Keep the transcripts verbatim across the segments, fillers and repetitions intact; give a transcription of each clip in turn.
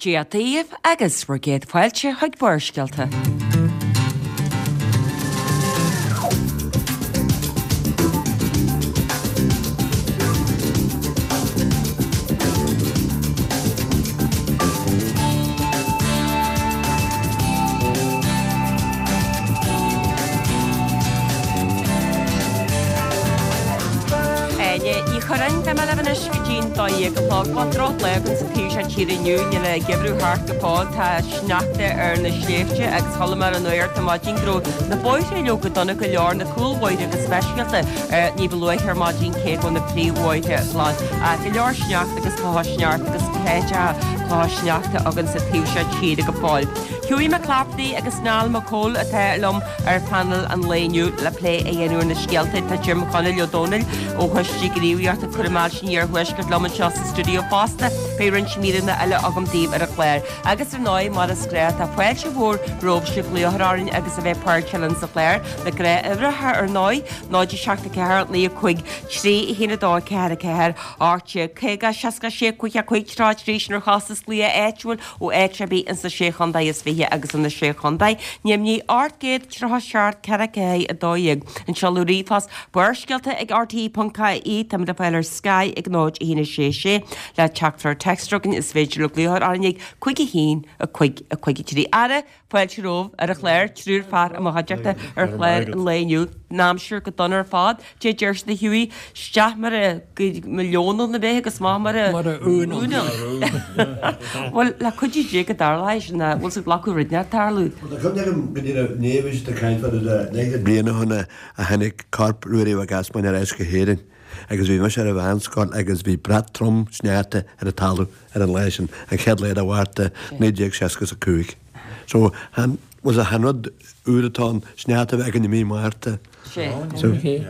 Dia daoibh agus bhur gcéad fáilte chuig Barrscéalta. Áine Ní Churráin, tá mé libh anois go dtí'n dó dhéag a chlog. Bhuel, drochlá againn sa taobh seo tíre inniu, níl an geimhreadh thart go fóill, tá sneachta ar na sléibhte agus chuala mé ar an nuacht ar maidin go raibh na bóithre leoga dona go leor, na cúlbhóithre go speisialta, ní ba luaithe ar maidin cé go bhfuil na príomhbhóithre glan. Ach go leor sneachta agus clocha sneachta agus cráiteacha clocha sneachta againn sa taobh seo tíre go fóill. Hughie McClafferty agus Niall Mac Cóil atá liom ar phainéal an lae inniu le plé a dhéanamh ar na scéalta. Tá Jim Chonaill Ó Dónaill ó Choiste Gníomhaíochta Cúraim Ailse an Iarthuaiscirt liom anseo sa stiúideo fosta. Beidh roinnt míreanna eile agam daoibh ar an chlár. Agus ar ndóigh, mar is gnách, tá fáilte mhór romhaibhse glaoch orainn agus a bheith páirteach linn sa chlár. Na gnáthuimhreacha ar ndóigh, náid a seacht a ceathair, naoi a cúig, trí a haon a dó, ceathair a ceathair, ocht déag caoga, seasca sé, cúig a cúig, tríocha trí, sin ar chostas glaoch áitiúil ó áit ar bith ins na Sé Chontae is Fiche agus ina Sé Chontae. Neamhní ocht gcéad tríocha seacht ceithre ceathair a dó dhéag. An seoladh ríomhphost Barrscéalta ag RTÉ ponc ie táimid le fáil ar Sky ag náid a haon a sé sé le teachtaireacht téacs chugainn is féidir libh glaoch orainn ag cúig a haon a cúig a cúig a trí. Ara fáilte romhaibh ar an chlár triúr fear i mo chuideachta ar chlár an lae inniu. An aimsir go dona ar fad. Dé deir siad a Hughie isteach mar a leonadh na bheith agus amach mar a Mar a únadh. Bhuel le cuidiú Dé go dtarlóidh sin bhfuil siad glacadh rud nach tarlú. Tá cuimhne agam go dtí na bhí siad ag caint fada le leathchéad bliain ó shin a tháinig corp Ruairí Mhac Easmainn ar ais go hÉirinn agus bhí mise ar an mheánscoil agus bhí brat trom sneachta ar an talamh ar an lá sin an chéad lá de Mhárta naoi déag seasca a cúig. So han was a han rud úr atá an sneachta bheith againn i mí Márta. Sé.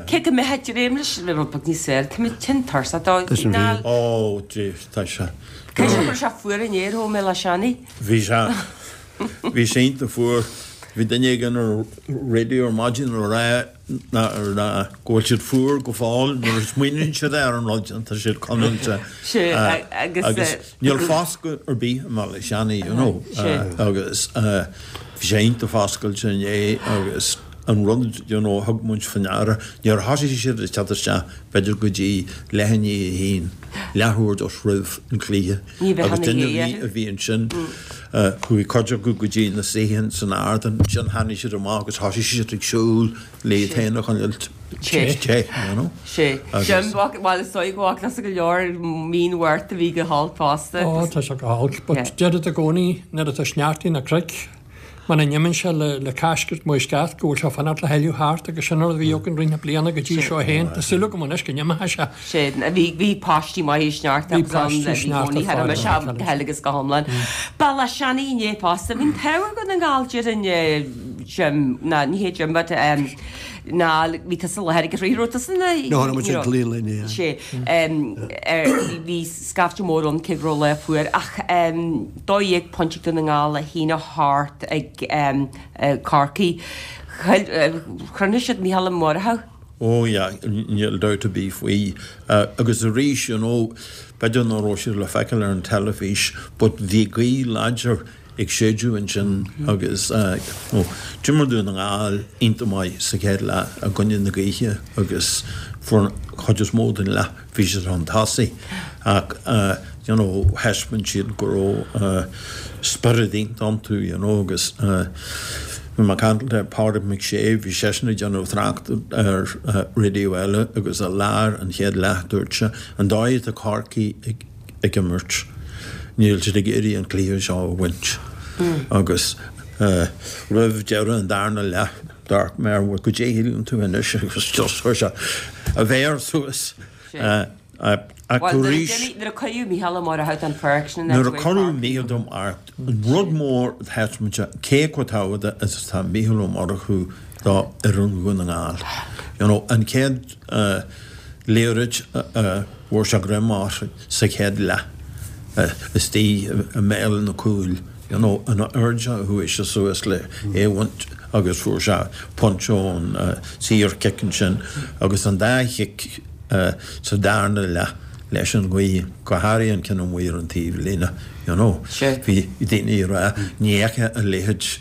Cé go mbeidh dréim leis le rud beag níos fearr, tá mé tinn tuirseach dó. Tá sin Niall, fíor. Ó, Dia, tá sé. Cé go raibh sé fuar inné ar thóg mé le Seanie? Bhí sé bhí sé iontach fuar. Bhí duine éigin ar raidió ar maidin ag rá ná ná go bhfuil siad fuar go fóill nuair a smaoiníonn siad ar an rud tá siad conáilte. Sé, agus, agus níl foscadh ar bith i mBaile Seanaidh, you know, Sé. agus bhí sé iontach foscailte inné agus an rud, you know, thug muid faoi ndeara, níor thosaigh siad ag teacht isteach b'fhéidir go dtí leath i ndiaidh a haon, leathuair just roimh an chluiche. Ní bheadh Agus ana duine ghéar. ar bith a bhí ansin, chuaigh cuid acu go dtí na suíocháin san ardán, ansin tháinig siad amach agus thosaigh siad ag siúl le iad féin a choinneáil Sé. te, you know. Sé. Agus- Jim, bhuel is dóigh go bhfaca tusa go leor mí an Mhárta a bhí go holc fosta. Ó, tá sé go holc, but Yeah. deirid i gcónaí nuair atá sneachtaí na cnoic, muna n-imíonn sé le le caiscirt mo sceat go bhfuil sé fanacht le thuilleadh thart agus sin rud a bhí againn roinnt na bliana go dtí seo féin. Tá súil agam anois go n-imeoidh sé. Sé, bhí bhí páistí maithe sneachta Bhí agus ann páistí le bhí sneachta cónaí thar fada mise fada. go huile agus go hiomlán. Ba le Seanie inné fosta, bhí an t-ádh ar Dhún na nGall déarfainn Jim, ná ní hé Jim but um, ná bhí tusa i láthair ag an raibh tusa na No, tháinig muid ag Glean Linn, yeah. Sé, um, ar, bhí bhí scaifte mór ann cé go raibh lá fuar ach um, dó dhéag pointe Dún na nGall a haon a hocht ag um, uh, Corcaigh. Chruinnigh siad Mícheál Ó Murchú. Ó yeah, níl dabht ar bith faoi. Uh, agus arís, you know, b'fhéidir nach raibh siad le feiceáil ar an teilifís, but bhí gaoth láidir ag séideadh ansin agus uh, oh, d'imir Dún na nGall iontach maith sa chéad leath i gcoinne na gaoithe agus fuair chuid is mó den leath bhí siad chun tosaigh ach uh, you know, thaispeáin siad go raibh uh, spiorad iontach iontu, you know, agus uh, Bhí mé ag caint le Pádraig McShay, bhí seisean ag déanamh trácht ar uh, raidió eile agus i lár an chéad leath dúirt sé an dóigh atá Corcaigh ag, ag imirt. Níl siad ag iarraidh an cluiche seo a bhaint. Agus uh, roimh deireadh an darna leath dúirt mé go dtéann tú anois agus just chuir sé a mhéar suas. Uh, uh, ach Well, arís nuair a cuireadh Mícheál Ó Murchú an pháirc sin Nuair a cuireadh Mícheál Ó Murchú an rud mór thaispeáin sé cé chomh tábhachtach is atá Mícheál Ó Murchú do fhoireann Dhún na nGall. You know, an chéad uh, liathróid uh, fuair sé greim air sa chéad leath uh, istigh i mbéal na cúil. You know, an airde a chuaigh sé suas le é a bhaint agus fuair sé pointe ón uh, saorchic ansin agus an dá chic uh, sa darna leath leis an ghaoth, go háirithe an ceann amuigh ar an taobh líne, you know. Bhí daoine ag rá, ní fhaca a leithéid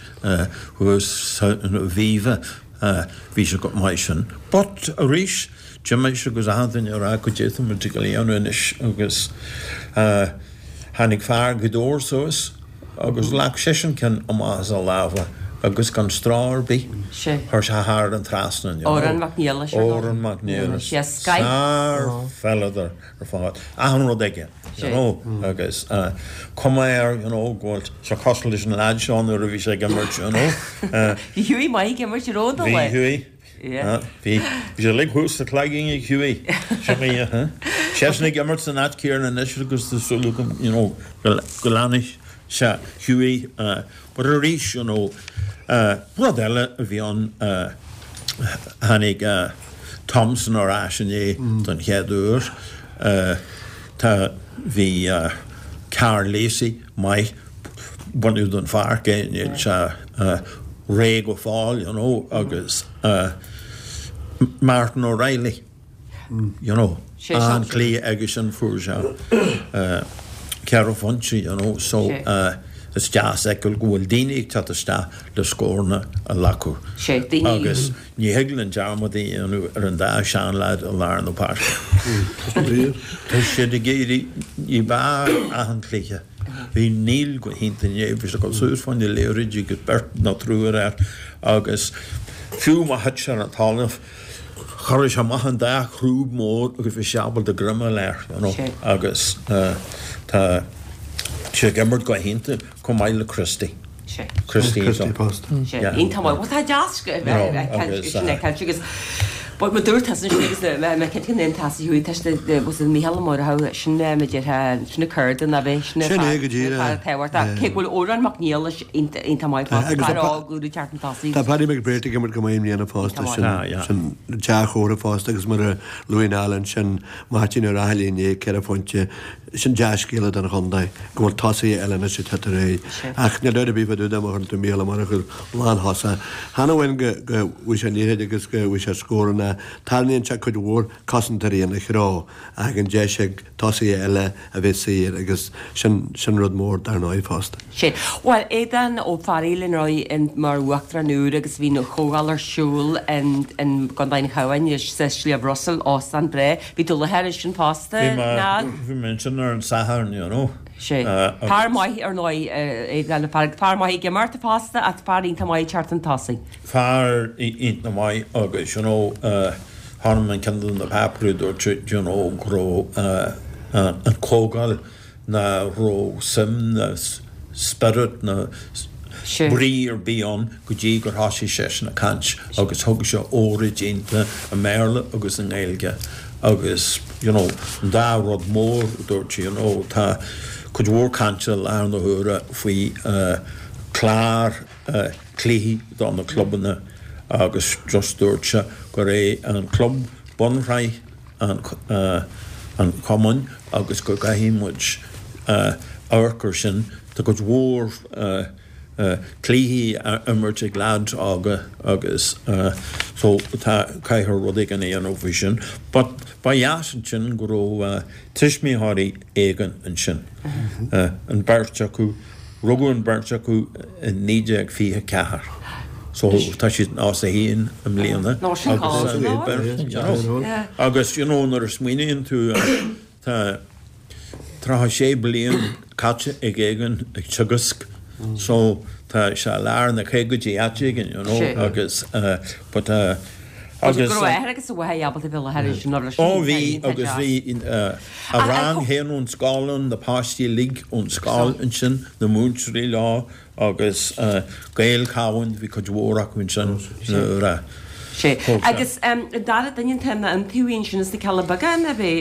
thuas san Aviva, bhí sé go maith sin. But arís, d'imigh sé agus achan duine ag rá goidé atá muid ag déanamh anois agus tháinig fear Ghaoth Dobhair suas agus ghlac seisean ceann amach as a lámha agus gan stró ar bith, chuir sé thar an trasnán, you know. Odhrán Mac Niallais ar ndóigh. Odhrán Mac Niallais. Sár-pheileadóir ar fad. Achan rud aige, you know, agus cuma air, you know, go bhfuil sé cosúil leis an leaid seo nuair a bhí sé ag imirt, you know. Bhí Hughie maith ag imirt, an raibh, an Bhí Hughie. Bhí sé uilig thuas sa chloigeann ag Hughie. Sin é, seisean ag imirt san áit chéanna anois agus tá súil agam, you know, go leanfaidh sé Hughie. But arís, you know, rud eile a bhí ann, tháinig Thompson ar ais inné don chéad uair. Tá, bhí Karl Lacey maith, baineadh den pháirc é, níl sé réidh go fóill, you know, agus Martin O'Reilly, you know, an-chluiche aige sin, fuair sé ceithre phointe, you know, so is deas a fheiceáil go bhfuil daoine ag teacht isteach le scóranna a ghlacadh agus ní thig linn dearmad a dhéanamh ar an dá seanleaid i lár na páirce. Tá siad ag éirí ní b'fhearr achan chluiche. Bhí Neil go hiontach inné, bhí sé ag dul suas fá choinne liathróidí agus beirt nó triúr air agus fiú má thit sé ar an talamh, chuir sé amach an dá chrúb mór agus bhí sé ábalta greim a fháil air, you know, agus tá sé ag imirt go hiontach chomh maith le Christy. Christy fosta. Iontach maith. Bhuel tá deas sin é caillte agus but ma dúirt tusa ansin agus mé cinnte go ndéanann tusa thuaidh tá sin was it Mícheál Ó Murchú sin ma déarfá sin na curda ná bheith sin Sin é go díreach. tábhachtach cé go bhfuil Odhrán Mac Niallais iontach maith fosta fear óg úr ag teacht chun tosaigh. Tá Paddy McBrearty ag imirt go maith i mbliana fosta sin sin dea-chomhartha fosta agus mar a luaigh Niall ansin Máirtín Ó Raghallaigh inné ceithre phointe sin dea-scéala don chontae go bhfuil tosaithe eile anois ag teacht ar aghaidh. Ach níl dabht ar bith fá dtaobh de má chuireann tú Mícheál Ó Murchú lánthosach. Chan amháin go go bhfaighidh sé an liathróid agus go bhfaighidh sé scóranna, tarraingíonn sé cuid mhór cosantóirí ina threo ach an deis ag tosaithe eile a bheith saor agus sin sin rud mór dar ndóigh fosta. Sin. Bhuel, Aodán Ó Fearghaíl an raibh mar uachtarán úr agus bhí an chomhdháil ar siúl in in gContae an Chabháin sa Sliabh Russell, óstán breá. Bhí tú i láthair ansin fosta, Bhí mé, bhí mé ansin ar an Satharn, you know. Sea. Fear maith ar ndóigh, Aodán, fear, fear maith ag imirt fosta ach fear iontach maith ag teacht chun tosaigh. Fear iontach maith agus, you know, chonaic mé ceann de na páipéirí dúirt sé, you know, go raibh an chomhdháil nach raibh suim ná spiorad ná brí ar bith ann go dtí gur thosaigh seisean ag caint agus thug sé óráid iontach i mBéarla agus i nGaeilge agus you know an dá rud mór a dúirt sé you know tá cuid mhór cainte i láthair na huaire faoi chlár cluichí do na clubanna agus just dúirt sé gur é an club bunshraith an chumainn agus go gcaithfidh muid amharc ar sin. Tá cuid mhór cluichí á imirt ag leaids óga agus so tá caithfear rud éigin a dhéanamh faoi sin. But ba dheas ansin go raibh tuismitheoirí éigin ansin. An bheirt acu Rugadh an bheirt acu i naoi déag fiche a ceathair so tá siad nócha a haon i mbliana agus agus you know nuair a smaoiníonn tú tá tríocha sé bliain caite ag Aodhán ag teagasc so tá sé i lár na caogaidí áit éigin you know agus but Agus go raibh a athair agus a mháthair ábalta bheith i láthair ansin nuair a Ó bhí agus bhí a rang féin ón scoil ann, na páistí uilig ón scoil ansin, na múinteoirí leo agus Gaeil Chabháin, bhí cuid mhór acu ansin nuair a Sea. Agus an dara duine atá ina iontaobhaí ansin sna Cealla Beaga an é?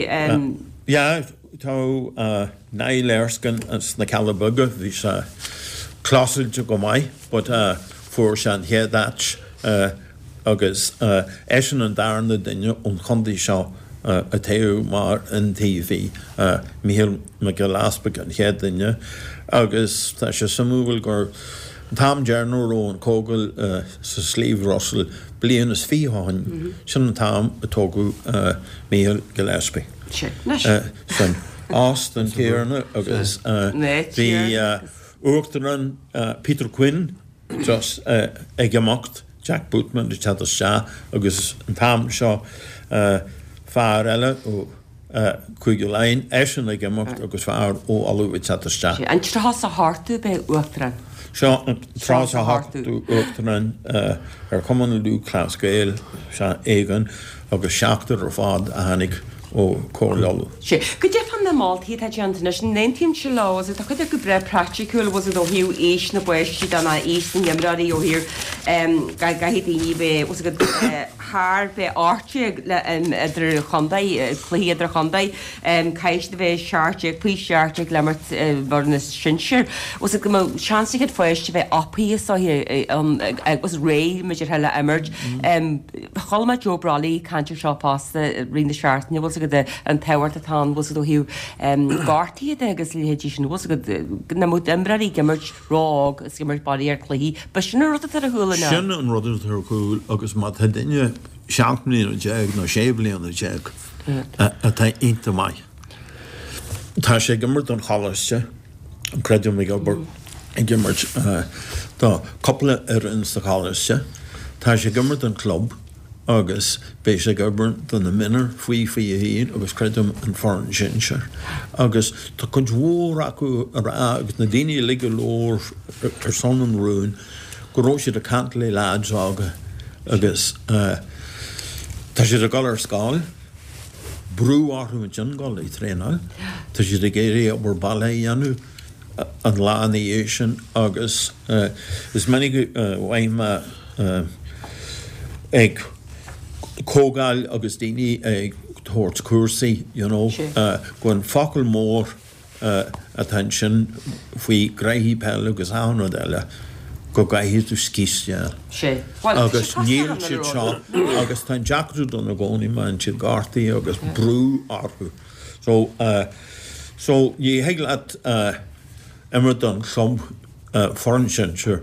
Yeah, tá Niall Erskine sna Cealla Beaga, bhí sé closailte go maith but fuair sé an chéad áit agus eisean an darna duine ón chontae seo a toghadh mar iontaobhaí, Mícheál Mac Giolla Easpaig an chéad duine, agus tá sé suimiúil gur an t-am deireanach a raibh an chomhdháil sa Sliabh Russell, bliain is fiche ó shin, sin an t-am a toghadh Mícheál Gillespie. San óstán céanna agus bhí Uachtarán Peter Quinn just ag imeacht Jack Bootman ag teacht isteach agus an t-am seo fear eile ó Cúige Laighean, eisean ag imeacht agus fear ó Uladh ag teacht isteach. An tríocha is a hochtú ab ea Uachtarán? Seo an tríocha is a hochtú Uachtarán ar Chumann Lúthchleas Gael, sea, Aogan, agus seachtar ar fad a tháinig ó Chomhairle Uladh. Sea. Goidé fá na moltaí atá déanta anois, an n-aontaíonn leo, is tá cuid acu breá praiticiúil, bhfuil a fhios agat ó thaobh aois na bpáistí de ná aois na n-imreoirí ó thaobh go gcaithfidh daoine bheith, bhfuil a fhios agat, thar bheith ocht déag le idir chontae, cluichí idir chontae, caithfidh siad a bheith seacht déag, faoi sheacht déag le imirt i bhfoireann na sinsear. Bhfuil a fhios agat go mbeadh seans ag an pháiste bheith upaithe is dóiche agus réidh maidir le imirt. Chuala mé Joe Brolly ag caint ar seo fosta i rith na seachtaine, bhfuil a fhios agat an tábhacht atá ann, bhfuil a fhios agat ó thaobh gortaithe de agus a leithéidí sin, bhfuil a fhios agat nach mbeadh imreoirí ag imirt ró-óg is ag imirt b'fhéidir ar chluichí. Ba sin an rud atá ar a chúl an ea? Sin an rud atá ar a chúl agus má tá duine seacht mbliana déag nó sé bliana déag atá iontach maith, tá sé ag imirt don choláiste, creidim ag obair, ag imirt do cúpla fhoireann sa choláiste, tá sé ag imirt don chlub agus beidh sé ag obair do na mionúir faoi fiche a haon agus creidim an foireann sinsir. Agus tá cuid mhór acu ag rá agus na daoine uilig a labhair ar son an rúin go raibh siad ag caint le leaids óga agus tá siad ag dul ar scoil, brú orthu ansin dul ag traenáil, tá siad ag iarraidh obair baile a dhéanamh an lá ina dhiaidh sin agus is minic a bhfaighim mé ag comhdháil agus daoine ag tabhairt cúrsaí you know go an focal mór atá ansin faoi ghraithí peile agus achan rud eile go gcaithfidh tú scíth a fháil. Agus níl siad seo agus tá an deacracht ann i gcónaí má bhíonn siad gortaithe agus brú orthu. So so ní thig leat imirt don chlub foireann sinsir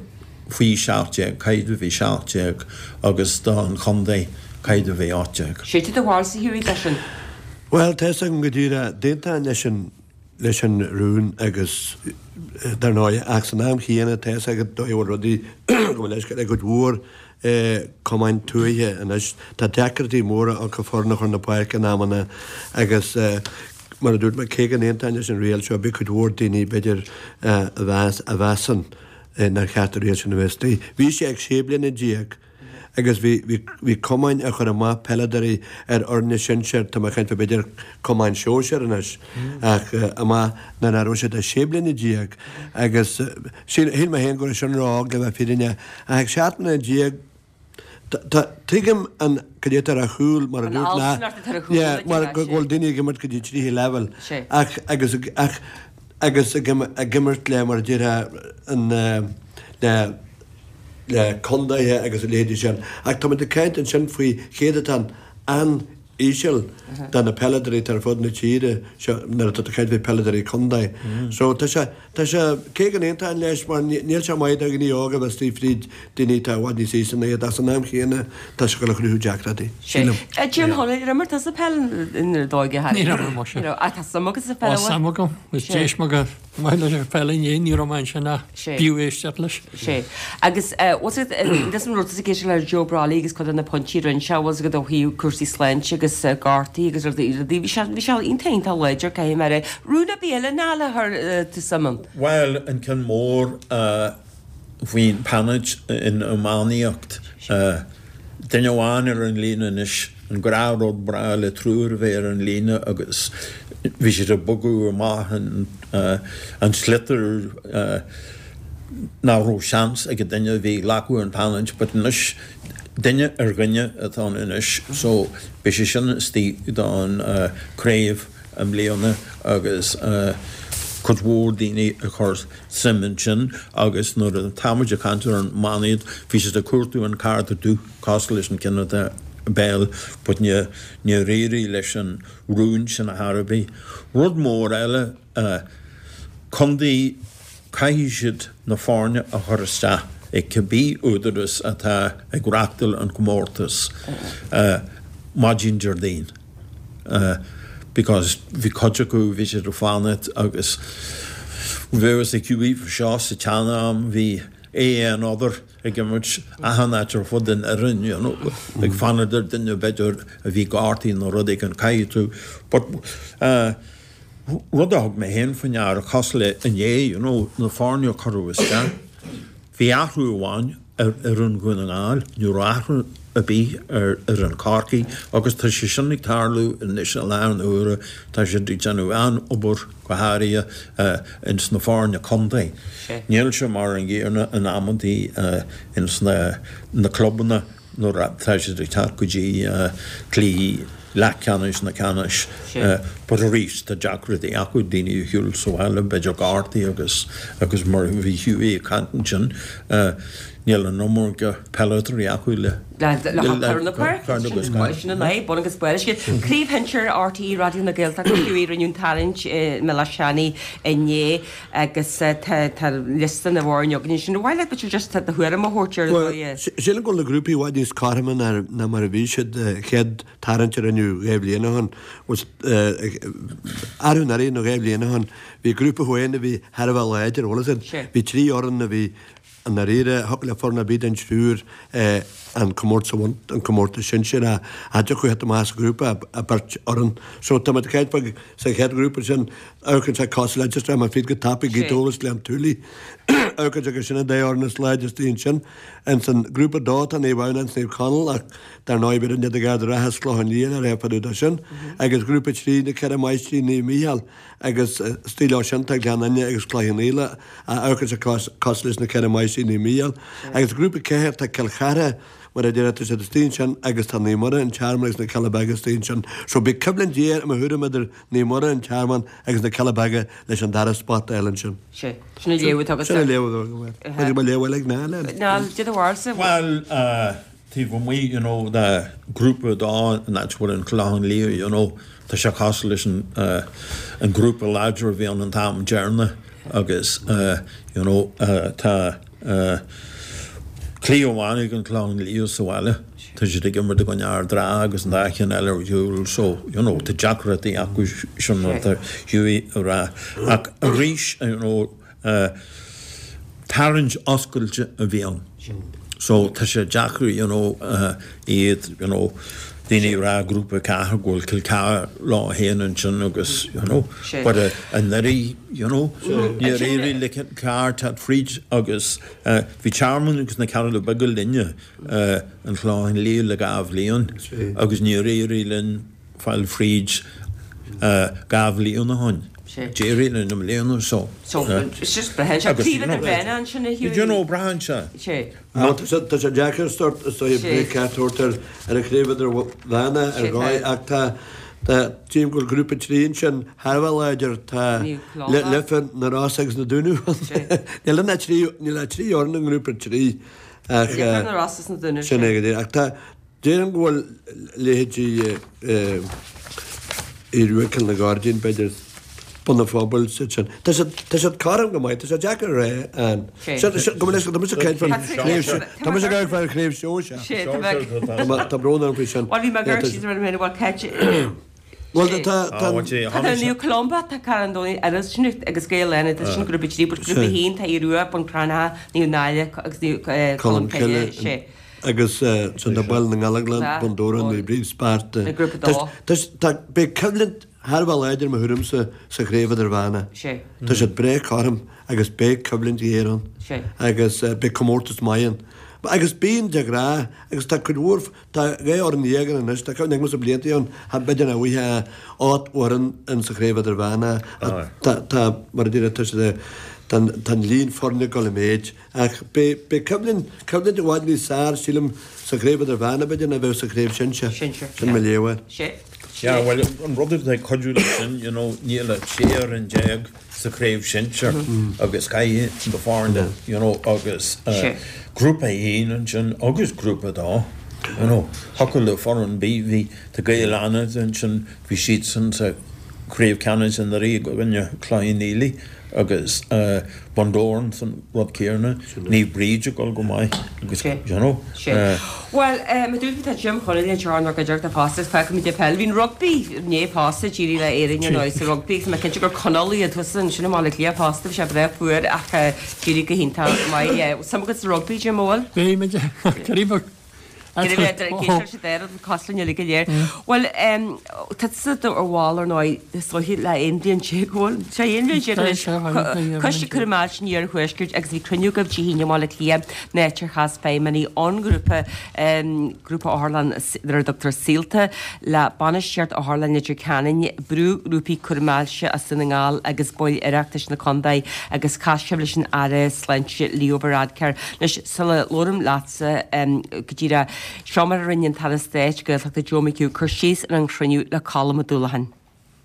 faoi seacht déag, caithfidh tú a bheith seacht déag agus don chontae caithfidh tú a bheith ocht déag. Sé do bharúilsa Hughie leis sin. Bhuel, tá fhios agam go díreach, d'aontóinn leis an leis an rún agus dar ndóigh ach san am chéanna tá fhios agat dóigh a bhfuil rudaí go bhfuil leisce ag cuid mhór cumainn tuaithe anois. Tá deacrachtaí móra acu foireann a chur na páirce in amanna agus mar a dúirt mé, cé go n-aontóinn leis an riail seo, beidh cuid mhór daoine, b'fhéidir, a mheas, a mheasann nár cheart an riail sin a bheith istigh. Bhí sé ag sé bliana déag agus bhí, bhí, bhí cumainn a chuir amach peileadóirí ar fhoirne sinsir, tá mé ag caint faoi b'fhéidir cumainn sóisir anois, ach amach nuair nach raibh siad ach sé bliana déag agus shíl, shíl mé féin go raibh sin ró-óg le bheith fírinneach ach ag seacht mbliana déag, Tuigim an cad é atá ar a chúl mar a dúirt ná yeah mar go bhfuil daoine ag imirt go dtí tríú leibhéal ach agus ach agus ag ag imirt le mar a déarfá an le le contaetha agus a leithéidí sin ach táimid ag caint ansin faoi chéatadán an-íseal de na peileadóirí atá ar fud na tíre seo nuair atá tú ag caint faoi peileadóirí contae so tá sé Tá sé, cé go n-aontóinn leis, mar níl sé maith do dhaoine óga a bheith istigh fríd daoine atá i bhfad níos aosta ná iad ach san am chéanna tá sé ag dul a chruthú deacrachtaí, sílim. A Jim Chonaill, ar imir tusa peil nuair d'óige Harry? Níor imir mise. Ní raibh, ach tá suim agat sa pheil, Tá suim agam, is d'éist mé go maith leis an pheil inné, ní raibh mé ansin ach b'fhiú éisteacht leis. Sea. Agus bhfuil a fhios agat, an raibh tusa ag éisteacht le Joe Brolly agus cuid de na pointí a rinne sé, bhfuil a fhios agat ó thaobh cúrsaí sláinte agus gortaí agus rudaí, rudaí, bhí sé, bhí sé iontach iontach láidir, caithfidh mé a rá. Rún ar bith eile Niall a chuir tú suim ann? Bhuel, an ceann mór faoin pheanailt in iománaíocht, duine amháin ar an líne anois, an gnáthrud breá le triúr a bheith ar an líne agus bhí siad ag bogadh amach an sliotar nach raibh seans ag an duine a bhí ag glacadh an pheanailt but anois duine ar dhuine atá ann anois so beidh sé sin istigh don craobh i mbliana agus cuid mhór daoine ag cur suim ansin agus nuair atá muid ag caint ar an iománaíocht bhí siad ag cuartú an cárta dubh cosúil leis an ceann atá i bpeil but níor éirigh leis an rún sin ar chor ar bith. Rud mór eile, contae, caithfidh siad na foirne a chur isteach ag cibé údaras atá ag reachtáil an comórtas maidin Déardaoin. because bhí cuid acu bhí siad ag fanacht agus bhí ag Hughie seo sa tsean-am bhí AN other ag imirt achan áit ar fud an fhoireann you know ag fanacht ar duine b'fhéidir a bhí gortaithe nó rud éigin caithfidh tú but uh, rud a thug mé féin faoi ndeara cosúil le inné you know na foirne a cuireadh isteach bhí athrú amháin ar ar an Dhún na nGall ní raibh athrú ar bith ar ar an Corcaigh agus tá sé sin ag tarlú anois i láthair na huaire tá siad ag déanamh an-obair go háirithe ins na foirne contae. Níl sé mar an gcéanna in amantaí ins na na clubanna nuair atá siad ag teacht go dtí cluichí leathcheannais nó ceannais. But arís tá deacrachtaí acu daoine a shiúl sa bhaile b'fhéidir gortaithe agus agus mar a bhí Hughie ag caint ansin níl an iomarca peileadóirí acu le le cur na páirce. Sin an fhadhb, bun agus barr. Craobh Shinsir RTÉ Raidió na Gaeltachta Hughie rinneadh an tarraingt i mBéal Átha Seanaidh inné agus tá liosta na bhfoirne againn ansin. Ar mhaith leat b'fhéidir just do thuairim a thabhairt ar Bhuel, sílim go bhfuil na grúpaí i bhfad níos cothroime ná mar a bhí siad chéad tarraingt a rinneadh dhá bhliain ó shin. Arú anuraidh nó dhá bhliain ó shin bhí grúpa amháin a bhí thar a bheith láidir, bhfuil fhios agat? Bhí trí fhoireann a bhí i ndáiríre, thiocfadh le foireann ar bith den triúr an comórtas a bhaint, an comórtas sinsir, ach cha dtiocfadh theacht amach as grúpa ach beirt fhoireann. So tá muid ag caint faoi sa chéad ghrúpa sin, amharcann sé cosúil le just raibh mé fríd go tapaidh Gaoth Dobhair is Gleann tSúilí. Amharcann sé gur sin an dá fhoireann is láidre istigh ansin. Ins an grúpa dó tá Naomh Adhamhnáin is Naomh Conaill ach dar ndóigh b'fhéidir iad ag Ard an Rátha is Clochán Liath le rá fá dtaobh de sin. Agus grúpa trí na Ceithre Máistrí Naomh Mícheál agus istigh leo sin tá Gleann Fhinne agus Cloich Cheann Fhaola ach amharcann sé cosúil leis na Ceithre Máistrí Naomh Mícheál. Agus grúpa ceathair tá Cill Chartha mar a déarfá tá siad istigh ansin agus tá Naomh Muire, An Tearmann agus na Cealla Beaga istigh ansin. So beidh coimhlint ghéar i mo thuairim idir Naomh Muire, An Tearmann agus na Cealla Beaga leis an dara spot a fháil ansin. Sé. Sin an léamh atá agat. Sin an léamh atá agam air. B'fhéidir go mbeadh léamh eile ag Niall air. Niall, cad é do bharúilsa. Bhuel, taobh amuigh, you know, de grúpa a dó, an áit a bhfuil an Clochán Liath, you know, tá sé cosúil leis an, an grúpa láidir a bhí ann an t-am deireanach agus, you know, tá cluiche amháin ag an Clochán Liath sa bhaile, tá siad ag imirt i gcoinne Ard an Rátha agus an dá cheann eile ar shiúl so, you know, tá deacrachtaí acu sin mar atá Hughie a rá. Ach arís, you know, tarraingt oscailte a bhí ann so tá sé deacair, you know, iad, you know, daoine ag rá grúpa ceathair go bhfuil Cill Chartha leo féin ansin agus you know but anuraidh you know níor éirigh le Cill Chartha teacht fríd agus bhí Tearmann agus na Cealla Beaga linne an Clochán Liath le dhá bhliain agus níor éirigh linn fáil fríd dhá bhliain ó shin. D'éirigh linn i mbliana so. So it's just braitheann sé craobh idirmheánach ansin a Hughie. You know braitheann sé. Sé. Nó tá sé tá sé deacair sort is dóigh breith ceart a thabhairt ar ar an chraobh idirmheánach ar dhóigh ach tá tá tchím go bhfuil grúpa trí ansin thar a bheith láidir tá Leifear na Rosa agus na Dúnaibh ann. Níl ann ach trí níl ach trí fhoireann i ngrúpa trí ach Leifear na Rosa is na Dúnaibh sin é go díreach ach tá Déarfainn go bhfuil leithéidí Aodh Rua Cill na Gairdín, b'fhéidir, Bun an Phobail, siad sin. Tá siad, tá siad cothrom go maith, tá sé deacair a rá an. Sin, sin, go mbeidh, tá mise ag caint faoin chraobh sin, tá mise ag caint faoin chraobh shóisear. Tá, tá brón orm faoi sin. Bhuel, bhí mé ag amharc síos ar an bhfuil Cáit. Bhuel, tá, tá. Tá Naomh Columba, tá Carn Domhnach agus sin agus Gaeil Fhánada, tá sin grúpa trí, but grúpa a haon, tá Aodh Rua, Bun Cranncha, Naomh Náille agus Naomh Colm Cille, sé. Agus sin tá Baile na nGallóglach, Bun Dobhráin, Naomh Bríd, Sparta. Tá, beidh coimhlint thar a bheith láidir i mo thuairimse sa chraobh idirmheánach. Tá siad breá cothrom agus beidh coimhlint ghéar ann. Agus beidh comórtas maith ann. Agus bíonn de ghnáth agus tá cuid mhór, tá dhá fhoireann dhéag ann anois, tá cuimhne agamsa blianta ó shin, b'fhéidir nach bhfaighfeá ocht bhfoireann in sa chraobh idirmheánach. Tá, tá, mar a déarfá, tá siad, tá an líon foirne ag dul i méid. Ach beidh coimhlint, coimhlint i bhfad níos fearr, sílim, sa chraobh idirmheánach, b'fhéidir, ná a bheadh sa chraobh sinsir. Sinsir. Sin mo léamh air. Sé. Yeah, bhuel, an rud atá ag cuidiú leis sin, you know, níl ach sé fhoireann déag sa chraobh sinsir agus caithfidh na foirne, you know, agus grúpa a haon ansin agus grúpa a dó, you know, thiocfadh le foireann ar bith, bhí, tá Gaeil Fhánada ansin, bhí siadsan sa chraobh ceannais anuraidh i gcoinne Cloich Cheann Fhaola agus Bundoran san rud céanna, Naomh Bríd ag dul go maith agus you know. Bhuel, mar dúirt tá Jim Chonaill anseo inár gcuideachta fosta, feicimid é peil. Bhí an rugbaí inné fosta, d'éirigh le Éirinn ar ndóigh sa rugbaí agus mé cinnte gur Conallaigh iad thusa ansin i mBaile Átha Cliath fosta, bhí sé breá fuar ach d'éirigh go hiontach maith. Suim agat sa rugbaí, Jim, an bhfuil? Bhí muid, creidim. Cosúil linn go léir. Bhuel, tá tusa ar bhall ar ndóigh is dóiche le aon bhliain déag bhfuil sé aon bhliain déag anois. Coiste Cúraim Ailse an Iarthuaiscirt agus bhí cruinniú agaibh Dé hAoine i mBaile Átha Cliath an áit ar chas feidhmeannaigh ón ngrúpa, grúpa otharlann ar a dtugtar Saolta, le bainistíocht Otharlann Leitir Ceanainn, brúghrúpaí cúraim ailse as Dún na nGall agus baill Oireachtais na contae agus chas sibh leis an Aire Sláinte Leo Varadkar. Anois sula labhraím leatsa go díreach, Seo mar a rinne an tAire Stáit Gaeltachta Joe McHugh cur síos ar an chruinniú le Colm Ó Dúlacháin.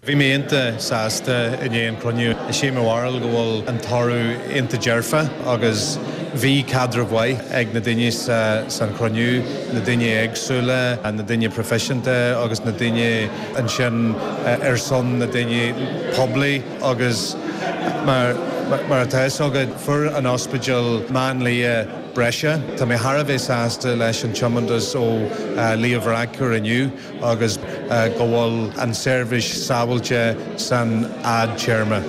Bhí mé iontach sásta i ndiaidh an chruinniú. Is é mo bharúil go bhfuil an toradh iontach dearfa agus bhí caidreamh mhaith ag na daoine san chruinniú, na daoine éagsúla, na daoine proifisiúnta agus na daoine ansin ar son na daoine poiblí agus mar mar atá fhios agat fuair an ospidéal máinlia breise. Tá mé thar a bheith sásta leis an tiomantas ó Leo Varadkar inniu agus go bhfuil an seirbhís sábháilte san fhadtéarma.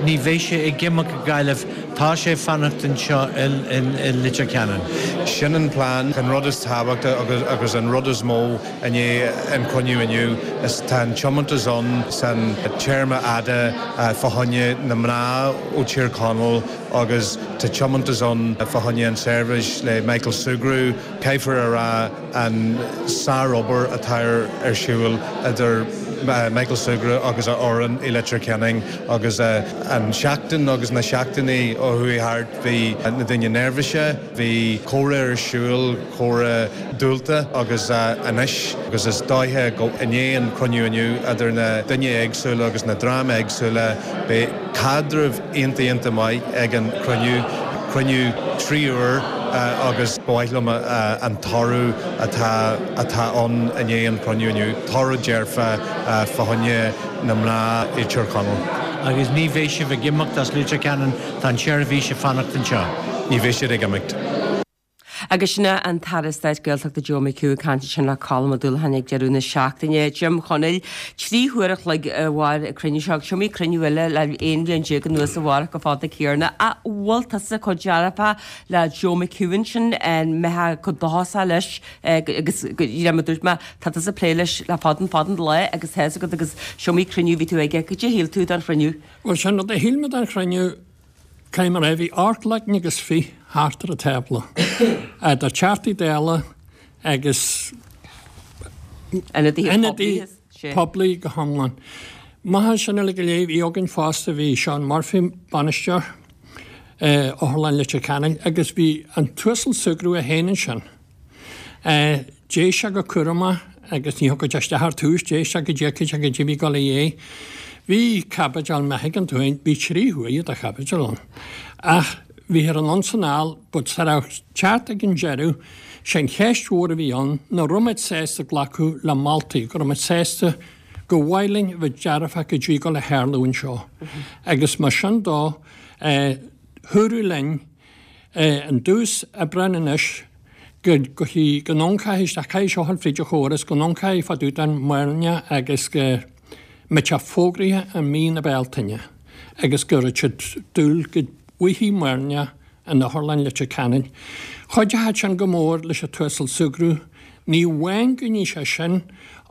Ní bheidh sé ag imeacht go Gaillimh, tá sé ag fanacht anseo i Leitir Ceanainn. Sin an plean, an rud is tábhachtaí agus agus an rud is mó i ndiaidh an chruinniú inniu is tá an tiomantas ann san téarma fhada fá choinne na mná ó Tír Chonaill agus tá tiomantas ann fá choinne an seirbhís le Michael Sugrue. Caithfear a rá an sárobair atá ar siúl idir Michael Sugrue agus a fhoireann i Leitir Ceanainn agus an seachtain agus na seachtainí ó chuaigh thart bhí na daoine neirbhíseach, bhí comhrá ar siúl, comhrá dúlta agus anois agus is dóiche go i ndiaidh an chruinniú inniu idir na daoine éagsúla agus na dream éagsúla beidh caidreamh iontach iontach maith ag an chruinniú, cruinniú trí uair agus ba mhaith liom an toradh atá atá ann i ndiaidh an chruinniú inniu, toradh dearfa fá choinne na mná i Tír Chonaill. Agus ní bheidh sibh ag imeacht as Leitir Ceanainn, tá an tseirbhís ag fanacht anseo. Ní bheidh siad ag imeacht. Agus sin an tAire Stáit Gaeltachta Joe McHugh ag caint ansin le Colm Ó Dúlacháin ag deireadh na seachtaine. Jim Chonaill, trí huair a chloig a mhair an cruinniú seo, agus is iomaí cruinniú eile le aon bhliain déag anuas a mhair chomh fada céanna. Ach bhfuil tusa chomh dearfach le Joe McHugh ansin, an mbeifeá chomh dóchasach leis agus mar a dúirt mé, tá tusa ag plé leis le fada fada an lá agus tá fhios agat agus is iomaí cruinniú a bhí tú aige. Cad é a shíl tú den chruinniú? Bhuel, sin rud a shíl mé den chruinniú. Caithfidh mé a rá, bhí ocht leagan agus fiche thart ar an tábla, idir Teachtaí Dála agus ionadaithe poiblí go hiomlán. Maith sin uilig go léir, bhí againn fosta, bhí Seán Murphy, bainisteoir Otharlann Leitir Ceanainn, agus bhí an tUasal Sugrue é féin ansin. D'éist sé go cúramach agus ní thiocfadh isteach ar tús, d'éist sé go dtíocfadh sé go dtí bhí dul a dhéidh. Bhí caibidil, má thuigeann tú féin, bhí trí huaire de chaibidil ann. Ach bhíthear anonn 's anall, but sa raibh teacht ag an deireadh, sé an cheist mhór a bhí ann, ná raibh muid sásta glacadh le moltaí, go raibh muid sásta gur mhaith linn a bheith dearfach go dtí go le tharlú anseo. Agus mar sin dó, eh, dúradh linn, eh, an dtús Aibreán anois, go go go n-ioncaithfidh isteach, caithfidh seo a dhul fríd an chóras, go n-ioncaithfidh fá dtaobh den máinlia agus go mbeidh sé fógraithe i mí na Bealtaine agus go raibh siad dúil go bhfaighidh máinlia in Otharlann Leitir Ceanainn. Chuideochadh sin go mór leis an tUasal Sugrue, ní amháin go ndéanfaidh sé sin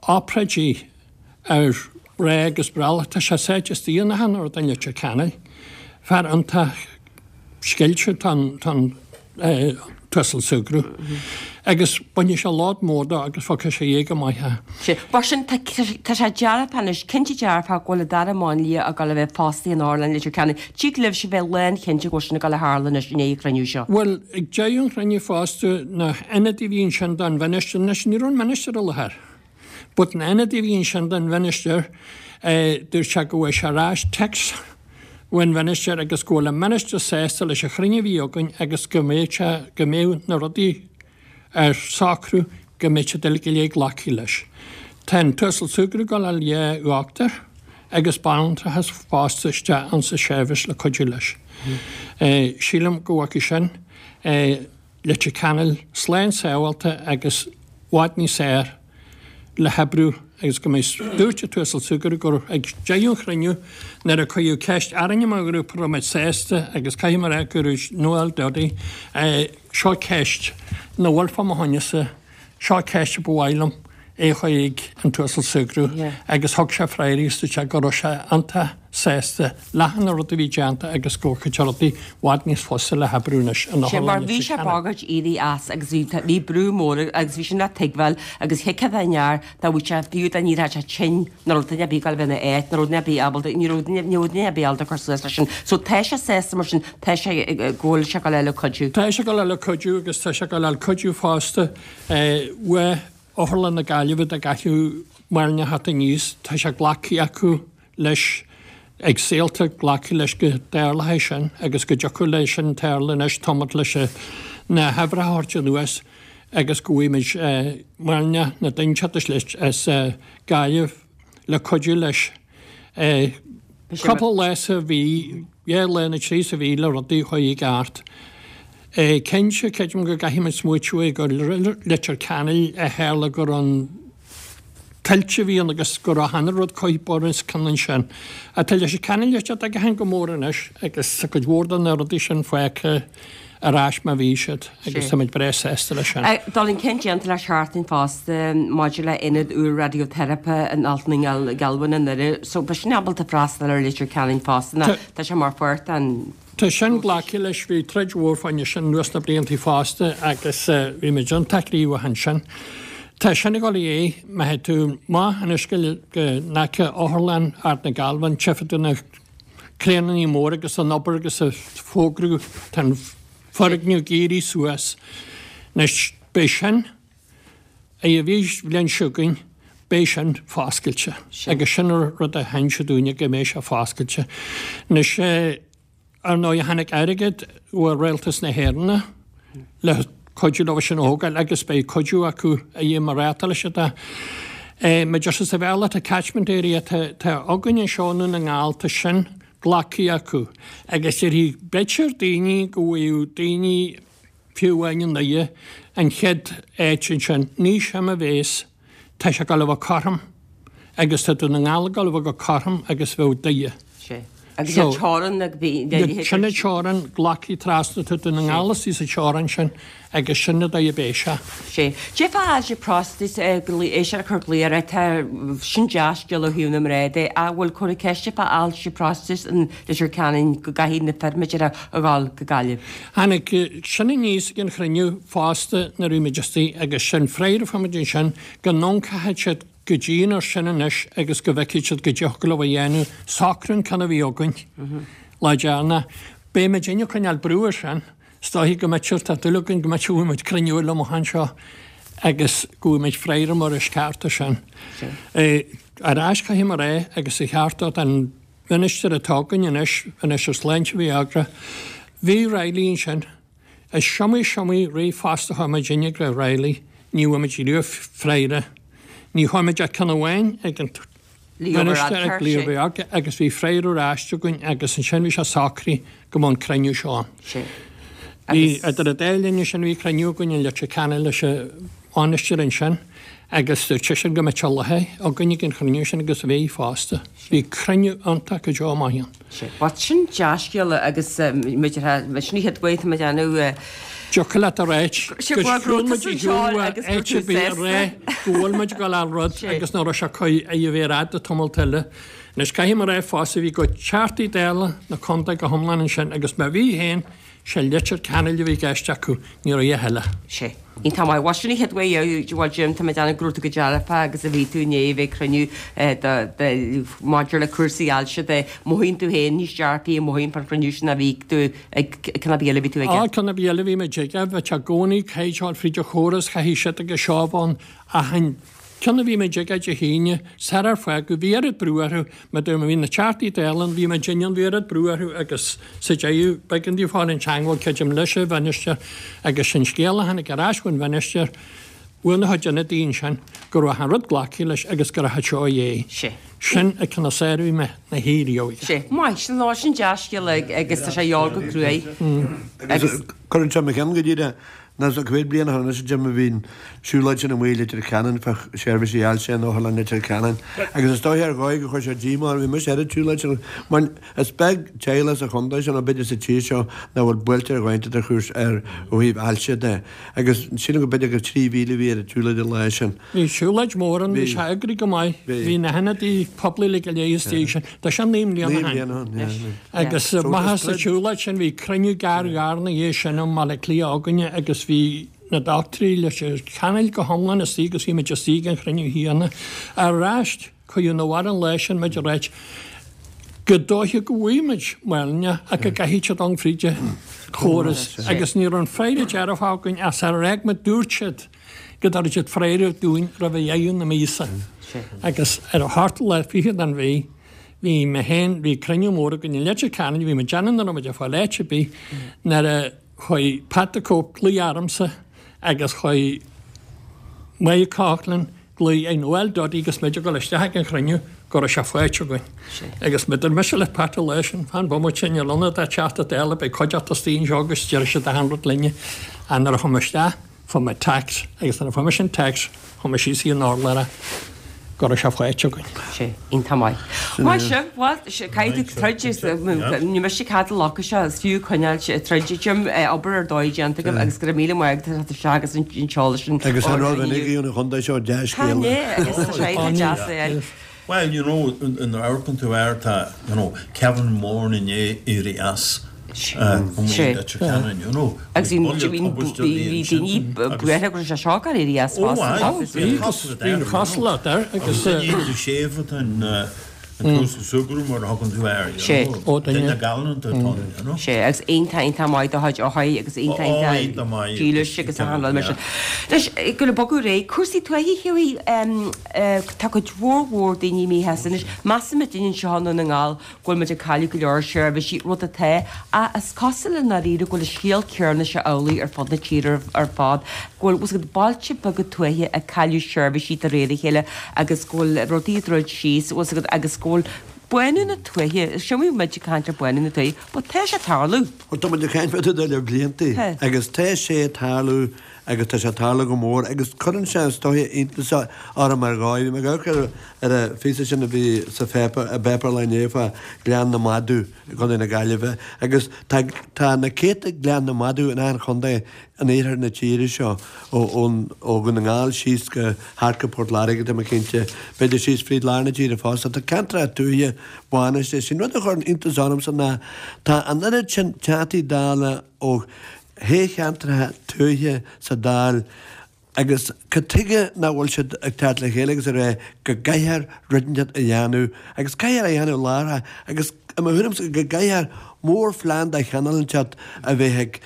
obráidí ar mhná agus brollach, tá sé sáite istigh in achan rud in Leitir Ceanainn. Fear iontach scilte tá an tUasal Sugrue agus bainfidh sé load mór dó agus fágfaidh sé é go maith é. Sea, mar sin tá sé dearfach anois, cinnte dearfach go bhfuil an dara máinlia ag dul a bheith fostaithe in Otharlann Leitir Ceanainn. Tig libhse bheith lánchinnte go bhfuil sin ag dul a tharlú anois i ndiaidh an chruinniú seo. Bhuel, ag deireadh an chruinniú fosta, na hionadaithe a bhí ansin don mhinistir, anois ní raibh an ministir i láthair. But na hionadaithe a bhí ansin don mhinistir, dúirt sé go bhfuair sé ar ais text ón mhinistir agus go bhfuil an ministir sásta leis an chruinniú a bhí againn agus go mbeadh sé, go mbeadh na rudaí ar socrú go mbeadh siad uilig go léir glactha leis. Tá an tUasal Sugrue ag dul a fháil dhá dhochtúir agus banaltrachas fosta isteach ansa seirbhís le cuidiú leis. Sílim go bhfaca sin Leitir Ceanainn slán sábháilte agus i bhfad níos fearr le hoibriú agus go mbeidh dúirt an tUasal Sugrue gur ag deireadh an chruinniú nuair a cuireadh ceist orainne mar ghrúpa raibh muid sásta agus caithfidh mé a rá go raibh Noel Duddy seo ceist nach bhfuil fá mo choinne-sa seo ceist a ba mhaith liom é a chur chuig an tUasal Sugrue agus thug sé freagra agus dúirt sé go raibh sé iontach sásta le na rudaí a bhí déanta agus go bhfuil cuid rudaí i bhfad níos fusa le hoibriú anois in Sé mar bhí sé bagairt éirí as agus bhí bhí brú mór agus bhí sin le tuigbheáil agus thuigfeá den fhear dá bhfuil sé fiú dá n-éireodh sé tinn nach raibh duine ar bith ag dul a bheith ina áit nach raibh duine ar bith ábalta ní raibh duine ní raibh duine ar bith ábalta cur suas leis sin. So tá sé sásta mar sin tá sé go bhfuil sé ag dul le cuidiú. Tá sé ag dul le cuidiú agus tá sé ag dul le cuidiú fosta uaidh Otharlann na Gaillimhe dá gcaithfeadh Máirne theacht aníos, tá sé glactha acu leis ag Saolta glacadh leis go dtarlóidh sin agus go dtiocfadh leis sin tarlú anois tamall leis na huimhreacha a thabhairt anuas agus go bhfaighimid Máirne na duine leis as Gaillimh le cuidiú leis. Cúpla lá sa mhí, dhá lá nó trí sa mhí le rudaí a chur i gceart. Cinnte, creidim go gcaithfimid smaoitiú gur Leitir Ceanainn a tharla gur an tuilte a bhí ann agus go raibh achan rud curtha bun os cionn ansin. Ach tá Leitir Ceanainn ag teacht go mór anois agus tá cuid mhór de na rudaí sin fágtha ar ais mar bhí siad agus táimid breá sásta leis sin. Dul chun cinn déanta le seachtain fosta maidir le ionad úr raidióteiripe in Antaine Galvin i nDoire. So beidh sin ábalta freastal ar Leitir Ceanainn fosta ná tá sé mar pháirt den Tá sin glactha leis, bhí troid mhór fá choinne sin anuas na blianta fosta agus bhí muid iontach gníomhach ansin. Tá sin ag dul i é, má théid tú amach anois go n-aice Otharlann Ard na Galvin, tchífidh tú na craenanna móra agus an obair agus an fógrú, tá an foirgneamh ag éirí suas. Anois, beidh sin, i bhí bhliain seo chugainn, beidh sin foscailte. Agus sin an rud a hinseadh dúinne go mbeidh sé foscailte. Anois, ar ndóigh, tháinig airgead ó Rialtas na hÉireann le cuidiú leo sin a thógáil agus beidh cuidiú acu a dhéanamh mar ráta leis atá. Mar deir sa Bhéarla tá catchment area tá tá againn anseo i nDún na nGall tá sin glactha acu agus déarfaidh b'fhéidir daoine go bhfaigheadh daoine fiú amháin i nDoire an chéad áit ansin ní sin a bhéas tá sé ag dul a bheith cothrom agus tá Dún na nGall ag dul a bheith go cothrom agus bheadh Doire. Sé. Agus an teorainn ag bhí Sin an teorainn glactha trasna tá Dún na nGall istigh sa teorainn sin agus sin an dóigh a beidh sé. Sé. Cé fá ailse próstate é sin a chur glao ar tá sin dea-scéal ó thaobh na mná de ach bhfuil cur ceiste fá ailse próstate in Leitir Ceanainn go gcaithfidh na fir b'fhéidir a ghabháil go Gaillimh. Tháinig sin aníos ag an chruinniú fosta nuair a bhí muid istigh agus sin freagra a fuair muid ansin go n-amharcfaidh siad go dian air sin anois agus go bhfeicfidh siad go dtiocfadh leo a dhéanamh socrú an ceann a bhí againn lá deireanach. Beidh muid ag coinneáil brú air sin, is dóichí go mbeidh tá dúil againn go mbeidh muid cruinniú eile amach anseo agus go bhfaighidh muid freagra mar is ceart air sin. Ar ais caithfidh mé a rá agus a cheart dó an ministir atá againn anois, Ministir Sláinte Mhaigh Eo, bhí Reilly ansin. Is iomaí is iomaí ríomhphost a chuir muid in ag Reilly, ní bhfuair muid riamh freagra. Ní chuir muid ach ceann amháin ag an Ministir ag Leo Varadkar agus bhí freagra ar ais againn agus ansin bhí sé socraithe go mbeadh an cruinniú seo ann. Bhí idir an dá linn sin bhí cruinniú againn i Leitir Ceanainn leis an mbainisteoir ansin agus dúirt seisean go mbeadh sé i láthair againn ag an chruinniú sin agus bhí fosta. Bhí cruinniú iontach go deo maith ann. Bhuel sin dea-scéala agus muid ar sin an chéad uair tá muid ag déanamh Tiocfaidh leat a ráit go siúil muid i gciúin áit ar bith a rá go bhfuil muid ag dul ar rud agus nach raibh sé cuí a bheith ar fhad tamall eile. Anois caithfidh mé a rá fosta bhí go Teachtaí Dála na contae go hiomlán ansin agus má bhí féin sé Leitir Ceanainn a bhí i gceist acu, ní raibh a dhath eile. Sé. Iontach maith. Bhuel sin an chéad uair bhuel Jim, tá mé ag déanamh go raibh tú go dearfa agus a bhí tú inné a bheith ag cruinniú do maidir le cúrsaí ailse de mothaíonn tú féin níos dearfaí a mothaíonn fán chruinniú sin a bhí tú ag ceann ar bith eile a bhí tú aige. Á, ceann ar bith eile a bhí muid aige, bheadh sé i gcónaí caighdeán fríd an chóras, chaithfidh siad agus seo ann achan ceann a bhí muid aige Dé hAoine, sarar fágadh, bhí oiread brú orthu, mar dúirt mé, bhí na Teachtaí Dála ann, bhí muid ann, bhí oiread brú orthu agus sa deireadh, b'éigean dóibh fáil in teagmháil, creidim, leis an mhinistir agus sin scéal a tháinig ar ais ón mhinistir, Bhuail na chuid ionadaí ansin go raibh an rud glactha leis agus go raibh seo dhé. Sé. Sin a cineál sáraigh mé na hÉireoidh. Sé. Maith, sin lá sin dea-scéal agus tá sé gheall go cruaidh. Agus cuireann sé mo cheann go díreach ná sa chéad bliain a tháinig anois Jim a bhí an siúlóid sin amuigh i Leitir Ceanainn fá seirbhísí ailse in Otharlann Leitir Ceanainn agus is dóiche ar dhóigh gur chuir sé díomá orm, bhí mise ar an tsiúlóid sin mar is beag teaghlach sa chontae seo nó b'fhéidir sa tír seo nach bhfuil buailte ar dhóigh de chúis ar ó thaobh ailse de agus sílim go b'fhéidir gur trí mhíle a bhí ar an tsiúlóid an lá sin. Bhí siúlóid mhór ann, bhí sé eagraithe go maith, bhí na hionadaí poiblí uilig go léir istigh sin, tá sé naoi mbliana ó shin. Agus maith sa tsiúlóid sin bhí cruinniú gearr gearr ina dhiaidh sin i mBaile Átha Cliath againne agus bhí na dochtúirí Leitir Ceanainn go hiomlán istigh agus bhí muid istigh ag an chruinniú chéanna. Ar ais, cuireadh na bhar an lá sin muid a ráit go dóiche go bhfaighidh muid maoilne ach go gcaithfidh siad dul fríd an chóras agus ní raibh an freagra dearfach againn as ar fhág muid dúirt siad go dtabharfadh siad freagra dúinn roimh dheireadh na míosa. Agus ar a hochtú lá fichead den mhí bhí mé féin, bhí cruinniú mór againn i Leitir Ceanainn, bhí muid déanamh nach raibh muid ag fáil áit ar bith nuair a chuaigh Pat the Cope glaoch ormsa agus chuaigh Mike Coughlan glaoch ar Noel Duddy agus muid ag dul isteach ag an chruinniú go raibh sé faighte againn. Agus dúirt mise le Pat an lá sin, fan bomaite, níl ionad a' Teachta Dála, beidh cuideachta istigh anseo agus déarfaidh siad achan rud linne. Ach nuair a chuaigh mé isteach, fuair mé text agus nuair a fuair mise an text, chuaigh mé síos chuig an urlár go raibh sé faighte againn. Sé, iontach maith. Maith sibh, bhuel, caithfidh tú troid, ní miste cad a locadh seo, is fiú coinneáil troid, Jim, obair ar dóigh déanta agaibh agus go raibh míle maith agat as teacht isteach agus an t-eolas sin. Agus an rud a bhí an chontae seo dea-scéala. Tá, né, agus tá sé iontach deas a fháil. Well, you know, nuair a amharcann tú air tá, you know, Kevin Moran i ndiaidh éirí as amuigh i Leitir Ceanainn, you know. Agus bhí bhí daoine buartha go raibh sé seo ag éirí as Ó, fosta. aye, Bhí bhí an chosúlacht air agus. Duine séimh atá in an tUasal Sugrue mar a thugann tú air, you Sé. know. Ó, duine. Duine galánta atá ann, you know. Sé, agus iontach iontach maith do chuid othair agus iontach Ó, iontach iontach maith. dílis agus achan rud mar sin. Anois, go le bogadh ar aghaidh, cúrsaí tuaithe, Hughie, tá cuid mhór mhór daoine míshásta anois. Measaimid anseo i nDún na nGall go bhfuil muid ag cailleadh go leor seirbhísí, rud atá, ach is cosúil i ndáiríre go bhfuil an scéal céanna seo amhlaidh ar fud na tíre ar fad, go bhfuil, bhfuil bailte beaga tuaithe ag cailleadh seirbhísí de réir a chéile agus go bhfuil rudaí ag druid síos, bhfuil fhios agat, agus go bhfuil bánú na tuaithe, is iomaí muid ag caint ar bánú na tuaithe, but tá sé ag tarlú. Bhuel, tá muid ag caint fá dtaobh de le blianta agus tá sé ag tarlú agus tá sé ag tarlú go mór agus cuireann sé is dóiche iontas orm ar dhóigh. Bhí mé ag amharc ar ar an phíosa sin a bhí sa pháipéar, i bpáipéar an lae inné fá Ghleann na Madadh i gContae na Gaillimhe agus tá tá na céadta Gleann na Madadh in achan chontae in iarthar na tíre seo, ó ón ó Dhún na nGall síos go thart go Port Láirge tá mé cinnte, b'fhéidir síos fríd lár na tíre fosta. Tá ceantracha tuaithe bánaithe. Is é an rud a chuireann iontas ormsa ná tá an oiread sin Teachtaí Dála ó thoghcheantracha tuaithe sa Dáil agus cad tuige nach bhfuil siad ag teacht le chéile agus ag rá go gcaithfear rud inteacht a dhéanamh agus caithfear a dhéanamh láithreach agus i mo thuairimse go gcaithfear mórphlean de chineál inteacht a bheith ag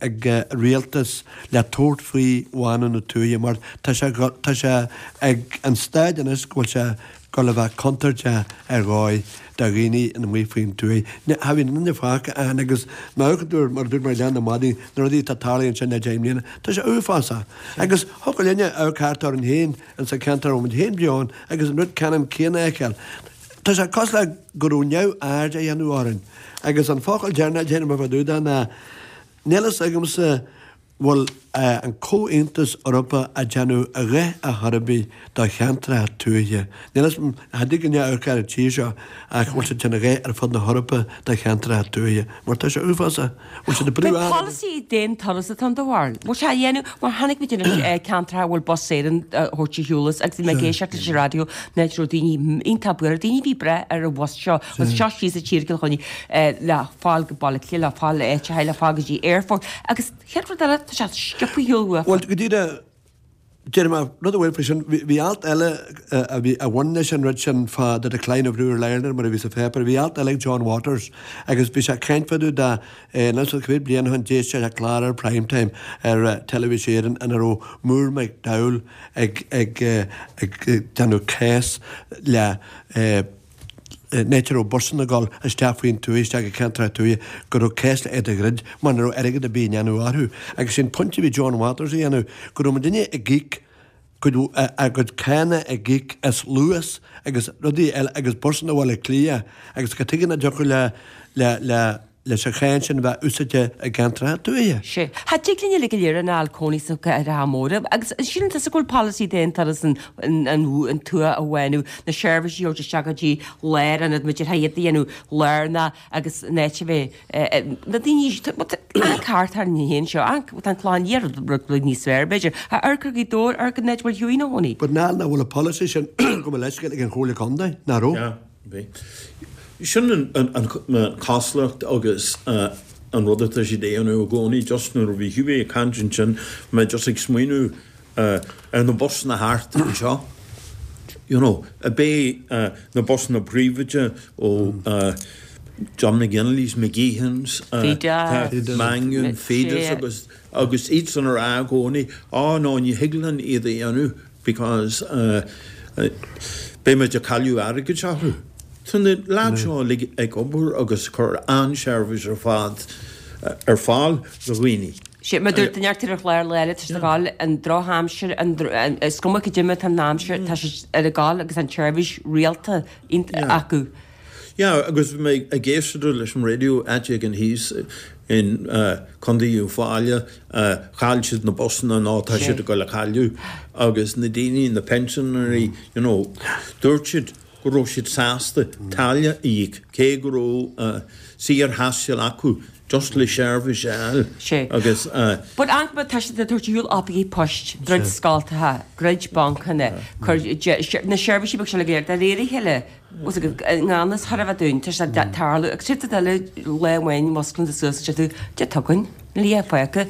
ag rialtas le tabhairt faoi bhánú na tuaithe mar tá sé tá sé ag an staid anois go bhfuil sé ag dul a bheith contúirteach ar dhóigh do dhaoine amuigh faoin tuaith. Cha bhíonn duine fágtha ann agus má amharcann tú ar, mar a dúirt mé, Gleann na Madadh, na rudaí atá tarlaithe ansin le deich mbliana, tá sé uafásach. Agus thiocfadh linne amharc thart orainn féin insa cheantar a bhfuil muid féin beo ann agus an rud ceannann céanna a fheiceáil. Tá sé cosúil le go raibh neamhaird á dhéanamh orainn. Agus an focal deireanach a déarfaidh mé fá dtaobh de ná, níl fhios agamsa bhfuil an Comhaontas Eorpach ag déanamh a dhath ar chor ar bith do cheantracha tuaithe. Níl fhios agam, cha dtig linn amharc ar an tír seo ach bhfuil siad ag déanamh a dhath ar fud na hEorpa do cheantracha tuaithe, mar tá sé uafásach. Bhfuil siad ag brú B'é ar. polasaí d'aon turas atá ann do bharúil? Bhfuil sé á dhéanamh mar chonaic muid anois ceantracha a bhfuil Bus Éireann á thabhairt ar shiúl as agus bhí mé ag éisteacht leis an raidió an áit a raibh daoine iontach buartha, daoine a bhí breá ar an bhus seo, agus seo síos sa tír i gCill Chainnigh le fáil go Baile Átha Cliath, le fáil áiteacha, le fáil go dtí aerfort agus chéad rud eile, tá sé sciobtha ar shiúl uafa. Bhuel, go díreach, déarfaidh mé rud amháin faoi sin, bhí alt eile a bhí, a bhain leis an rud sin fá the decline of rural Ireland mar a bhí sa pháipéar, bhí alt eile ag John Waters agus bhí sé ag caint fá dtaobh de, anois cúpla bliain ó shin d'éist sé le clár ar Prime Time ar Teilifís Éireann ina raibh Moore McDowell ag, ag, ag déanamh cás le, an áit a raibh busanna ag dul isteach faoin tuaith, isteach i gceantracha tuaithe, go raibh cás le iad a dhruid mar nach raibh airgead ar bith á dhéanamh orthu. Agus sin pointe a bhí John Waters a dhéanamh, go raibh muidinne ag íoc cuid a gcuid cánach ag íoc as Luas agus rudaí eile agus busanna Bhaile Átha Cliath agus cad tuige nach dtiocfadh le le le leis an cháin sin a bheith úsáidte i gceantracha tuaithe? Sea. Cha dtig linn uilig go léir a fháil cónaí sna cathracha móra agus síleann tusa go bhfuil polasaí d'aon turas an an an tuath a bhánú, na seirbhísí a thabhairt isteach go dtí lárionad, muid ar iad a dhéanamh lárnach agus an áit a bheith na daoine an cairt thar an fhéin seo, an tá an Clochán Liath rud rud níos fearr b'fhéidir, a amharc ar Ghaoth Dobhair, amharc an áit a bhfuil Hughie ina chónaí. But nach nach bhfuil an polasaí sin gabh mo leithscéal ag an Chomhairle Contae, nach raibh? Yeah, bhí. Sin an an an chosúlacht agus an rud atá siad a dhéanamh i gcónaí, just nuair a bhí Hughie ag caint ansin, mé just ag smaoineamh ar na busanna thart anseo. You know, ab é na busanna príobháideacha ó John McGinley's, McGeehan's, Mangan, Fides agus agus iadsan ar rá i gcónaí, á no, ní thig linn iad a dhéanamh because beidh muid ag cailleadh airgid orthu. Tá na lads seo uilig ag obair agus cur an-seirbhís ar fad ar fáil do dhaoine. Sea, mar dúirt duine ar chlár lá eile, tá siad ag gabháil an drochaimsir, an is cuma cad é mar atá an aimsir, tá siad ar a gabháil agus an tseirbhís rialta acu. Yeah, agus bhí mé ag éisteacht leis an raidió áit éigin thíos in Contae Uíbh Fhailí, chaill siad na busanna nó tá siad ag dul a chailleadh agus na daoine, na pensioners, you know, dúirt siad go raibh siad sásta táille a íoc cé go raibh saorthaisteal acu just le seirbhís a fháil Sea. agus But an tá siad ag tabhairt ar shiúl oifigí poist, druid scoltacha, druid bancanna, cur na seirbhísí beag seo le go léir, de réir a chéile, bhfuil a fhios agat, i ngan fhios thar a bheith dúinn, tá sé ag tarlú agus siad eile lá amháin musclaíonn tú suas agus deir tú, Dé tugainn, níl a fágtha.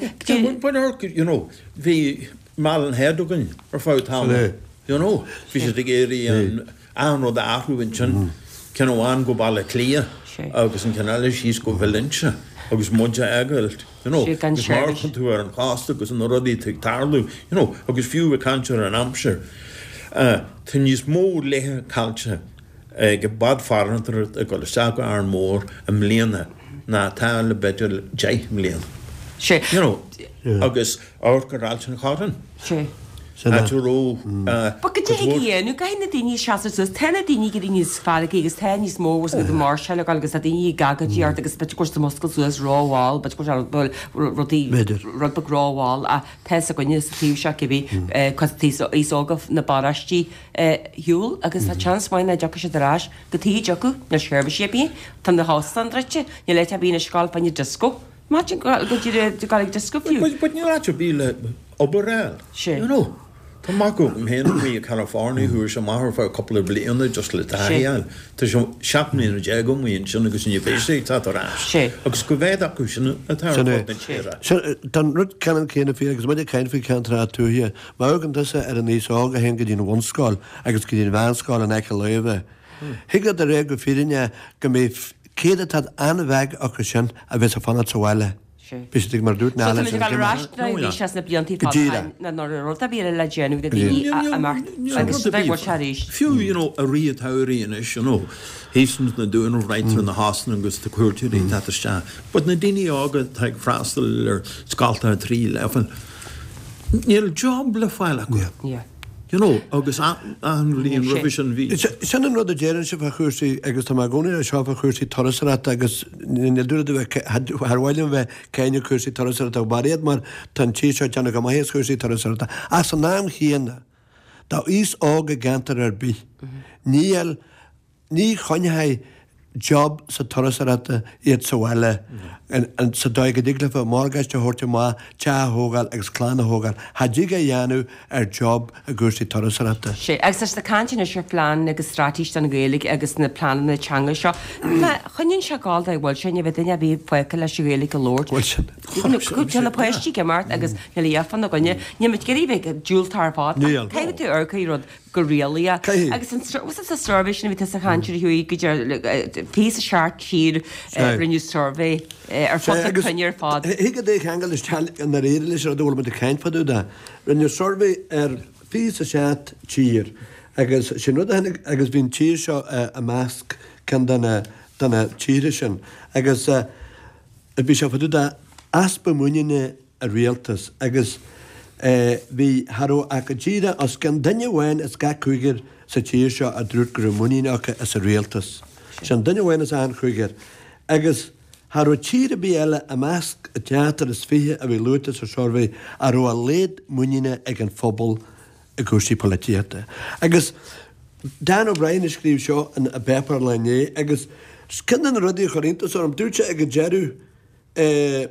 But but you know, bhí Malin Head againn ar feadh tamaill, you know, bhí siad ag iarraidh an achan rud a athrú ansin, ceann amháin go Baile Átha Cliath agus an ceann eile síos go Valentia agus muid a fhágáil, you know, agus má amharcann tú ar an chósta agus na rudaí atá ag tarlú, you know, agus fiú ag caint ar an aimsir, tá níos mó laetha caillte ag bád farantóireachta ag dul isteach go Árainn Mhór i mbliana ná atá le b'fhéidir deich mbliana. Sea. You know, agus amharc ar Ailt an Chorráin. Sea. Áit a raibh But cad é a dhéanamh? Caithfidh na daoine seasamh suas. Tá na daoine ag éirí níos feargaí agus tá níos mó agus ag máirseáil ag agus tá daoine ag agóidíocht agus b'fhéidir go bhfuil siad ag muscailt suas rómhall, b'fhéidir go bhfuil rudaí, rud beag rómhall ach tá fhios againne sa taobh seo cibé cos aos óga na bparóistí ar shiúl agus tá seans maith nach dtiocfaidh siad ar ais cad chuige a dtiocfadh, níl seirbhísí ar bith, tá na hóstáin druidte, níl áit ar bith anois ag gabháil fá choinne disco. Imagine go dtí go ag disco fiú. But but níl áit ar bith le obair a fháil. Sea. You know. Tá mac agam féin amuigh i California chuaigh sé amach ar feadh cúpla bliana just le taithí a fháil. Tá sé seacht mbliana déag amuigh ansin agus ní bheidh sé ag teacht ar ais. Sea. Agus cá mhéad acu sin atá ar Sin é. fud na tíre. Sin, tá an rud ceannann céanna fíor agus muid ag caint faoi cheantracha tuaithe. Má amharcann tusa ar an aos óg a théann go dtí an bhunscoil agus go dtí an mheánscoil in aice láimhe, thig leat a rá go fírinneach go mbeidh céatadán an-bheag acu sin a bheas ag fanacht sa bhaile. Bhí siad ag mar a dúirt So Niall tá muid ansin ag dul ar céim ais nuair a bhí sé sna blianta Go fada díreach. ná nuair a rud a bhí le déanamh na daoine a imeacht agus Rud ar bheidh bith. sé arís. Fiú, you know, i rith an tsamhraidh anois, you know, thíos ins na Dúnaibh, right through na hóstáin agus na cuairteoirí ag teacht isteach. But na daoine óga atá ag freastal ar scoltacha trí leibhéal, níl job le fáil acu. Yeah. You know, agus an bhliain roimhe sin bhí. Sin an rud a deireann sibh fá chúrsaí agus tá mé i gcónaí ar seo fá chúrsaí turasóireachta agus níl dúirt a bheith thar mhaith liom bheith ag cáineadh cúrsaí turasóireachta ach baraíocht mar tá an tír seo ag déanamh go maith as chúrsaí turasóireachta. Ach san am chéanna, do aos óg i gceantar ar bith, níl Ní choinneoidh job sa turasóireachta iad sa bhaile sa dóigh go dtig leofa morgáiste a thabhairt amach, teach a thógáil agus clann a thógáil. Cha dtig a dhéanamh ar job i gcúrsaí turasóireachta. Sea, agus tá siad ag caint anois ar phlean agus straitéis don Ghaeilge agus na pleananna teanga seo. Má choinníonn sé ag gabháil dá bhfuil sé, ní bheidh duine ar bith fágtha leis an Ghaeilge a labhairt. Bhfuil sin. Tá na páistí ag imeacht agus níl a fhios fána gcoinne. Níl muid ag iarraidh bheith diúltach ar fad. Níl. Caithfidh tú amharc ar rud go réalaíoch. Caithfidh. Agus an was it a survey sin a bhí tusa ag caint air a Hughie go dtí fiche is a seacht tír rinneadh survey ar fud na cruinne ar fad. Thig leat é a cheangal isteach i ndáiríre leis an rud a bhfuil muid ag caint fá dtaobh de. Rinneadh survey ar fiche is a seacht tír agus sin rud a tháinig agus bhí an tír seo i measc ceann de na de na tíortha sin agus bhí sé fá dtaobh de easpa muiníne i rialtas agus Bhí, cha raibh ach go díreach os cionn duine amháin as gach cúigear sa tír seo a dúirt go raibh muinín acu as an rialtas. Sin duine amháin as achan chúigear. Agus cha raibh tír ar bith eile i measc an tseachtar is fiche a bhí luaite sa suirbhé a raibh a laghad muiníne ag an phobal i gcúrsaí polaitíochta. Agus Dan O'Brien a scríobh seo in an bpáipéar an lae inné agus ceann de na rudaí a chuir iontas orm, dúirt sé ag an deireadh, eh,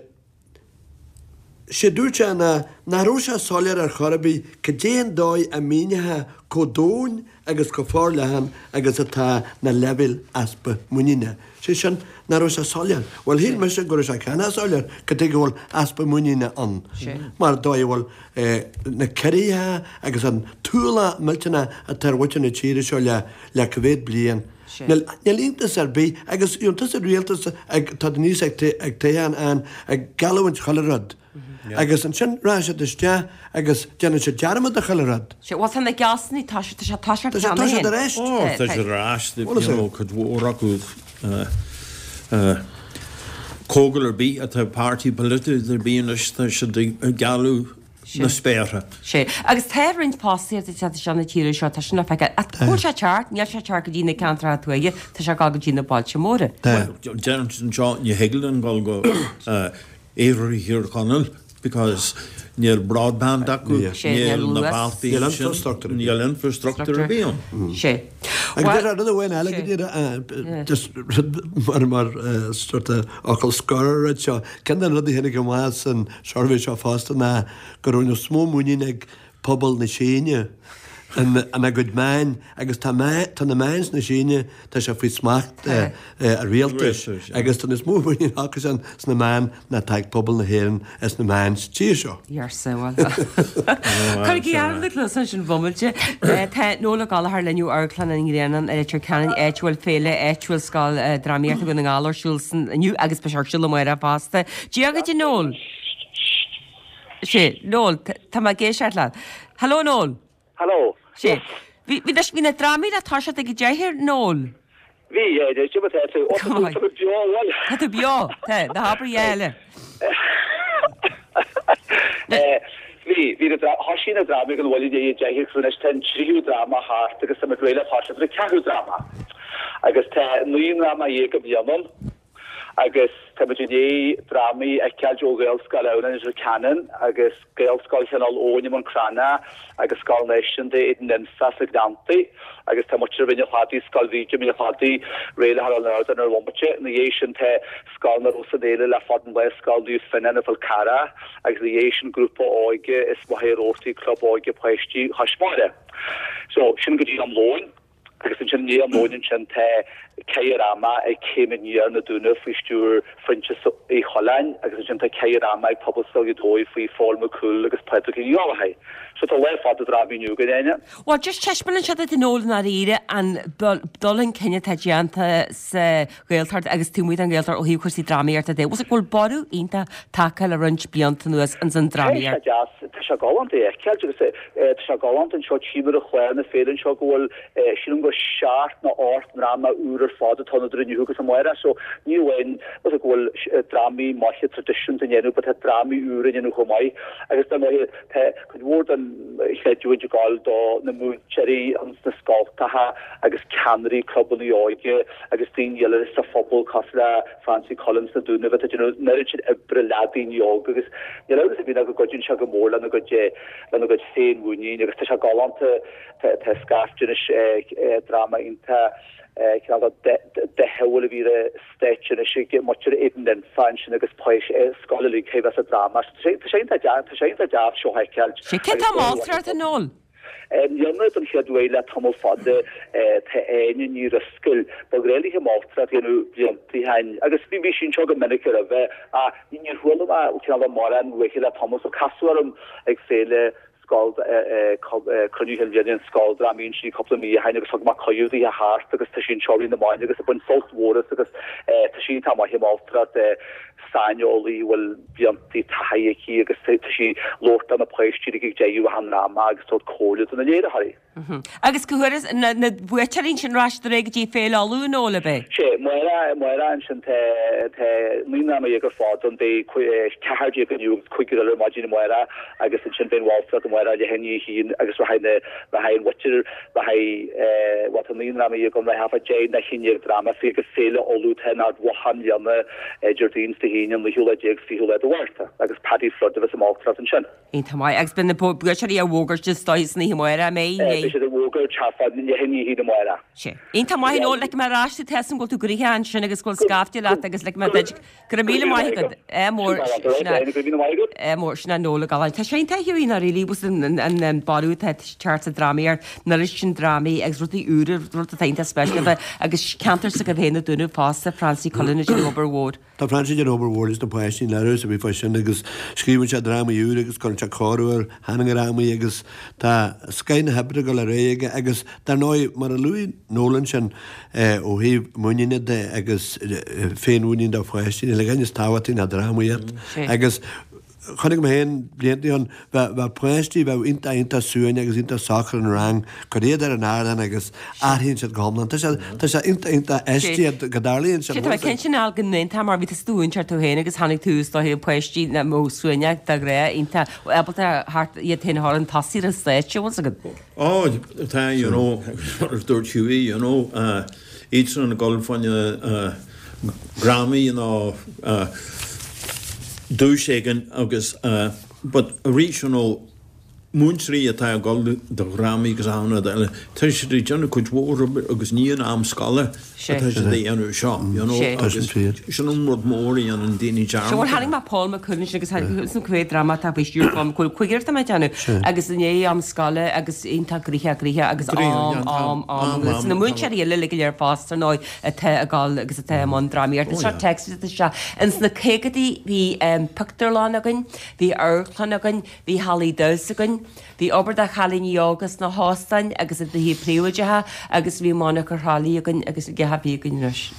Sé dúirt sé ná nach raibh sé soiléir ar chor ar bith cad é an dóigh a míneofá chomh domhain agus chomh forleathan agus atá na leibhéil easpa muiníne. Sé sin, nach raibh sé soiléir. Bhuel, shíl mise go raibh sé cheana soiléir cad tuige go bhfuil easpa muiníne ann. Mar an dóigh a bhfuil na ciorruithe agus an t-ualach millteanach atá ar mhuintir na tíre seo le le cá mhéad bliain. Níl iontas ar bith agus iontas an rialtas ag tá níos ag ag toghchán ann ag geallúint chuile rud. Agus ansin rachaidh siad isteach agus déanann siad dearmad de chuile rud. Sea, bhuel tá na gealltanais, tá siad, tá siad, tá siad Tá siad, tá siad ar ais. Ó, tá siad ar ais, you know, cuid mhór acu comhdháil ar bith atá páirtí polaitiúil ar bith anois, tá siad ag gealladh na spéartha. Sea, agus tá roinnt fostaíocht ag teacht isteach na tíre seo, tá sin le feiceáil. Ach cá bhfuil sé ag teacht? Níl sé ag teacht go dtí na ceantracha tuaithe, tá sé ag dul go dtí na bailte móra. Bhuel, deirim anseo, ní thig linn dul go iarthar Thír Chonaill because níl broadband acu, níl na bealtaí Níl infrastructure ar bith. Níl infrastructure ar bith ann. Sea. Agus deir rud amháin eile go dtí just rud mar mar sort of fhocal scoir ar an rud seo. Ceann de na rudaí a tháinig amach san suirbhé seo fosta ná go raibh níos mó muinín ag pobal na Síne ina gcuid meáin agus tá tá na meáin sna Síne, tá sé faoi smacht an rialtais agus tá níos mó muinín acusan sna meáin ná atá ag pobal na hÉireann sna meáin sa tír seo. Arsa, bhuel. Cuirigí aire na cluasa sin bhomaite. Tá Noel Ó Gallchóir linn ó Amharclann an Ghrianáin i Leitir Ceanainn, áit a bhfuil féile áitiúil Scoil Drámaíochta Dhún na nGall ar siúl inniu agus beidh sé ar siúl amárach fosta. Dia dhuit a Noel. Sé, Noel, tá mé ag éisteacht leat. Hello Noel. Hello. Sé. Bhí bhí bhí na drámaí le toiseacht ag a deich Noel. Bhí, yeah, cad é mar atá tú. Ó, tá tú tá tú beo, bhuel. Tá tú beo, tá, ná habair a dhath eile. Eh, Bhí, bhí na dra- thosaigh na drámaí ag an bhuille i ndiaidh a deich agus anois tá an tríú dráma thart agus tá muid réidh le toiseacht ar an ceathrú dráma. Agus tá naoi ndráma dhéag i mbliana ann. Agus tá muid i ndiaidh drámaí a fheiceáilt ó Ghaelscoil Adhamhnáin i Leitir Ceanainn agus Gaelscoil Chineál Eoghain i mBun Cranncha agus Scoil Náisiúnta Éadan Ninfe sna Gleanntaí agus tá muintir Mhín an Chladaigh, Scoil Bhríde Mín an Chladaigh, réidh le dhul ar an ardán ar bhomaite. Ina dhiaidh sin tá Scoil na Rosann Éile le fad an lae, Scoil Naomh Fionán i bhFál Carrach agus ina dhiaidh sin grúpa óige is Machaire Rabhartaigh, Club Óige Páistí Chois Mara. So, sin go dtí am lóin. Agus ansin i ndiaidh am lóin ansin tá caitheamh ama ag Céim Aniar na Dúnaibh faoi stiúir Phroinsias Uí Choileáin agus ansin tá caitheamh ama ag Pobalscoil Ghaoth Dobhair faoi Phól Mac Cumhaill agus Pádraig Ó Gallchóir. So tá lá fada drámaí inniu againn, Áine. Bhuel, just taispeánann sé duit a Noel i ndáiríre an dul chun cinn atá déanta sa Ghaeltacht agus taobh amuigh den Ghaeltacht ó thaobh cúrsaí drámaíochta de. Bhfuil go bhfuil borradh iontach tagtha le roinnt blianta anuas ins an Tá sé drámaíocht. deas, tá sé galánta a fheiceáilt agus tá sé galánta anseo, tchím ar an chlár na féile anseo go bhfuil sílim gur seacht nó ocht ndráma úr ar fad atá ann idir inniu agus amárach so ní amháin go bhfuil drámaí maithe traidisiúnta á ndéanamh but tá drámaí úr á ndéanamh chomh maith agus dar ndóighe tá cuid mhór den chreidiúint ag gabháil do na múinteoirí ins na scoltacha agus ceannairí clubanna óige agus daoine eile sa phobal cosúil le Francie Cullen sna Dúnaibh atá ag déanamh an oiread sin oibre le daoine óga agus níl amhras ar bith ná go gcuidíonn sé go mór lena gcuid lena gcuid féinmhuinín agus tá sé galánta tá scaifte anois dráma iontach cineál dathúil a bhí ar stáitse anois ag muintir Éadan Ninfe ansin agus scoil uilig a bheith sa dráma. Tá sé iontach deas, tá sé iontach deas seo a fheiceáilt. Sé cé tá moltar a Noel? I mbliana don chéad uair le tamall fada tá Áine Ní Drisceoil, ba ghnách léithe moltóireacht a dhéanamh blianta ó shin agus bhí sí anseo go minic roimhe ach níor chuala mé cineál mórán uaithi le tamall so casadh orm ag féile scoil cruinniú chinn bhliana an scoildrámaí ansin cúpla mí ó shin agus thug mé cuireadh di a theacht agus tá sí anseo i rith na maidine agus ag baint sult mhór as agus tá sí iontach maith i moltóireacht saineolaí a bhfuil blianta taithí aici agus tá sí ag labhairt do na páistí ag deireadh an dráma agus tabhairt comhairle do na léiritheoirí. Agus go huair na na buaiteoirí sin ar ais go dtí Féile Uladh nó le bheith? Sé, amárach, amárach ansin tá tá naoi ndráma dhéag ar fad ann beidh ceathair déag inniu agus cúigear eile ar maidin amárach agus ansin beidh an mholtóireacht amárach leath i ndiaidh a haon agus rachaidh na rachaidh an mhuintir rachaidh bhuel tá naoi ndráma dhéag ann rachaidh deich nó haon déag dráma faoi agus Féile Uladh atá in Ard Mhacha i mbliana Déardaoin is Dé hAoine an naoú lá déag is fichiú lá de Mhárta agus Paddy Flood a bheas ag moltóireacht ansin. Iontach maith agus beidh na buaiteoirí á bhfógairt is dóigh san oíche amárach an mbeidh? Beidh siad á bhfógairt thart fá leath i ndiaidh a haon amárach. Sé. Iontach maith Noel, ligfidh mé ar ais tú tá a fhios agam go bhfuil tú gnoitheach ansin agus go bhfuil scaifte leat agus ligfidh mé duit go raibh míle maith agat. Ádh mór sin é. Go raibh míle maith agat. Ádh mór sin é Noel Ó Galláin. Tá sé iontach Hughie ná really was an an an borradh atá ag teacht sa drámaíocht, an oiread sin drámaí agus rudaí úra, rud atá iontach speisialta agus ceantar s'agaibh féin na Dúnaibh fosta, Francie Cullen ag déanamh obair mhór. Tá Francie ag déanamh obair mhór leis na páistí an leabhar a bhí fá sin agus scríobhann sé drámaí úra agus cuireann sé cóiriú ar sheandrámaí agus tá scoth na hoibre ag dul ar aghaidh aige agus dar ndóigh mar a luaigh Noel ansin ó thaobh muiníne de agus féinmhuinín do pháistí níl a dhath níos tábhachtaí ná drámaíocht agus chonaic mé féin blianta ó shin bheadh páistí bheadh iontach iontach suain agus iontach socair in rang, cuir iad ar an ardán agus athraíonn siad go hiomlán. Tá sé tá sé iontach iontach aisteach go dtarlaíonn sé. Tá mé cinnte Niall go n-aontófá mar bhí tusa i do mhúinteoir tú féin agus tháinig tú is dóigh páistí nach mbeadh suaimhneach de ghnáth iontach ábalta thart iad féin a chur chun tosaigh ar an stáitse, bhfuil 's agat? Ó tá you know mar a dúirt Hughie you know iadsan ag dul fá choinne drámaí nó duais éigin agus but arís you know múinteoirí atá ag dul do dhrámaí agus achan rud eile, tá siad ag déanamh cuid mhór obair agus ní in am scoile atá siad a dhéanamh seo, you know, agus sin an rud mór a dhéanann daoine dearmad. Bhuel tháinig mé Paul McCool ansin agus tháinig san cibé dráma atá faoi stiúir Paul McCool, cúigear atá mé ag déanamh agus i ndiaidh am scoile agus iontach gnoitheach gnoitheach agus am, am, am agus na múinteoirí eile uilig go léir fosta ar ndóigh atá ag dul agus atá i mbun drámaíochta. Seo téacs isteach. Ins na caogadaí bhí pictiúrlann againn, bhí amharclann againn, bhí hallaí damhsa againn, bhí obair do chailíní óga sna hóstáin agus i dtithe príobháideacha agus bhí monarcha Thrá Lí againn agus a bhí againn anois.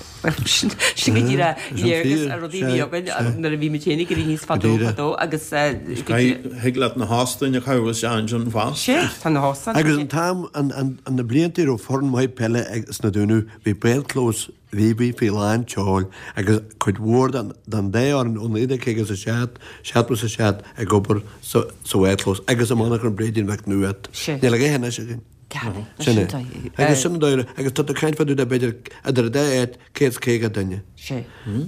Sin sin go díreach léargas ar rudaí a bhí againn nuair a bhí muid féin ag éirí aníos fadó fadó agus go díreach. Thig leat na hóstáin a chaitheamh isteach ansin fosta. Sea, tá na hóstáin. Agus an t-am, an na blianta a raibh foireann mhaith peile sna Dúnaibh, Bhí bádchlós Bhíbí faoi lán tseoil agus cuid mhór den dá fhoireann ó naoi déag caoga is a seacht, seachtó is a seacht ag obair sa bhádchlós agus i monarcha an Bhréidín Mhic Nuadhat. Níl a dhath anois againn. Sin é. Agus sin an dóigh agus tá tú ag caint fá dtaobh de b'fhéidir idir an dá áit céad is caoga duine.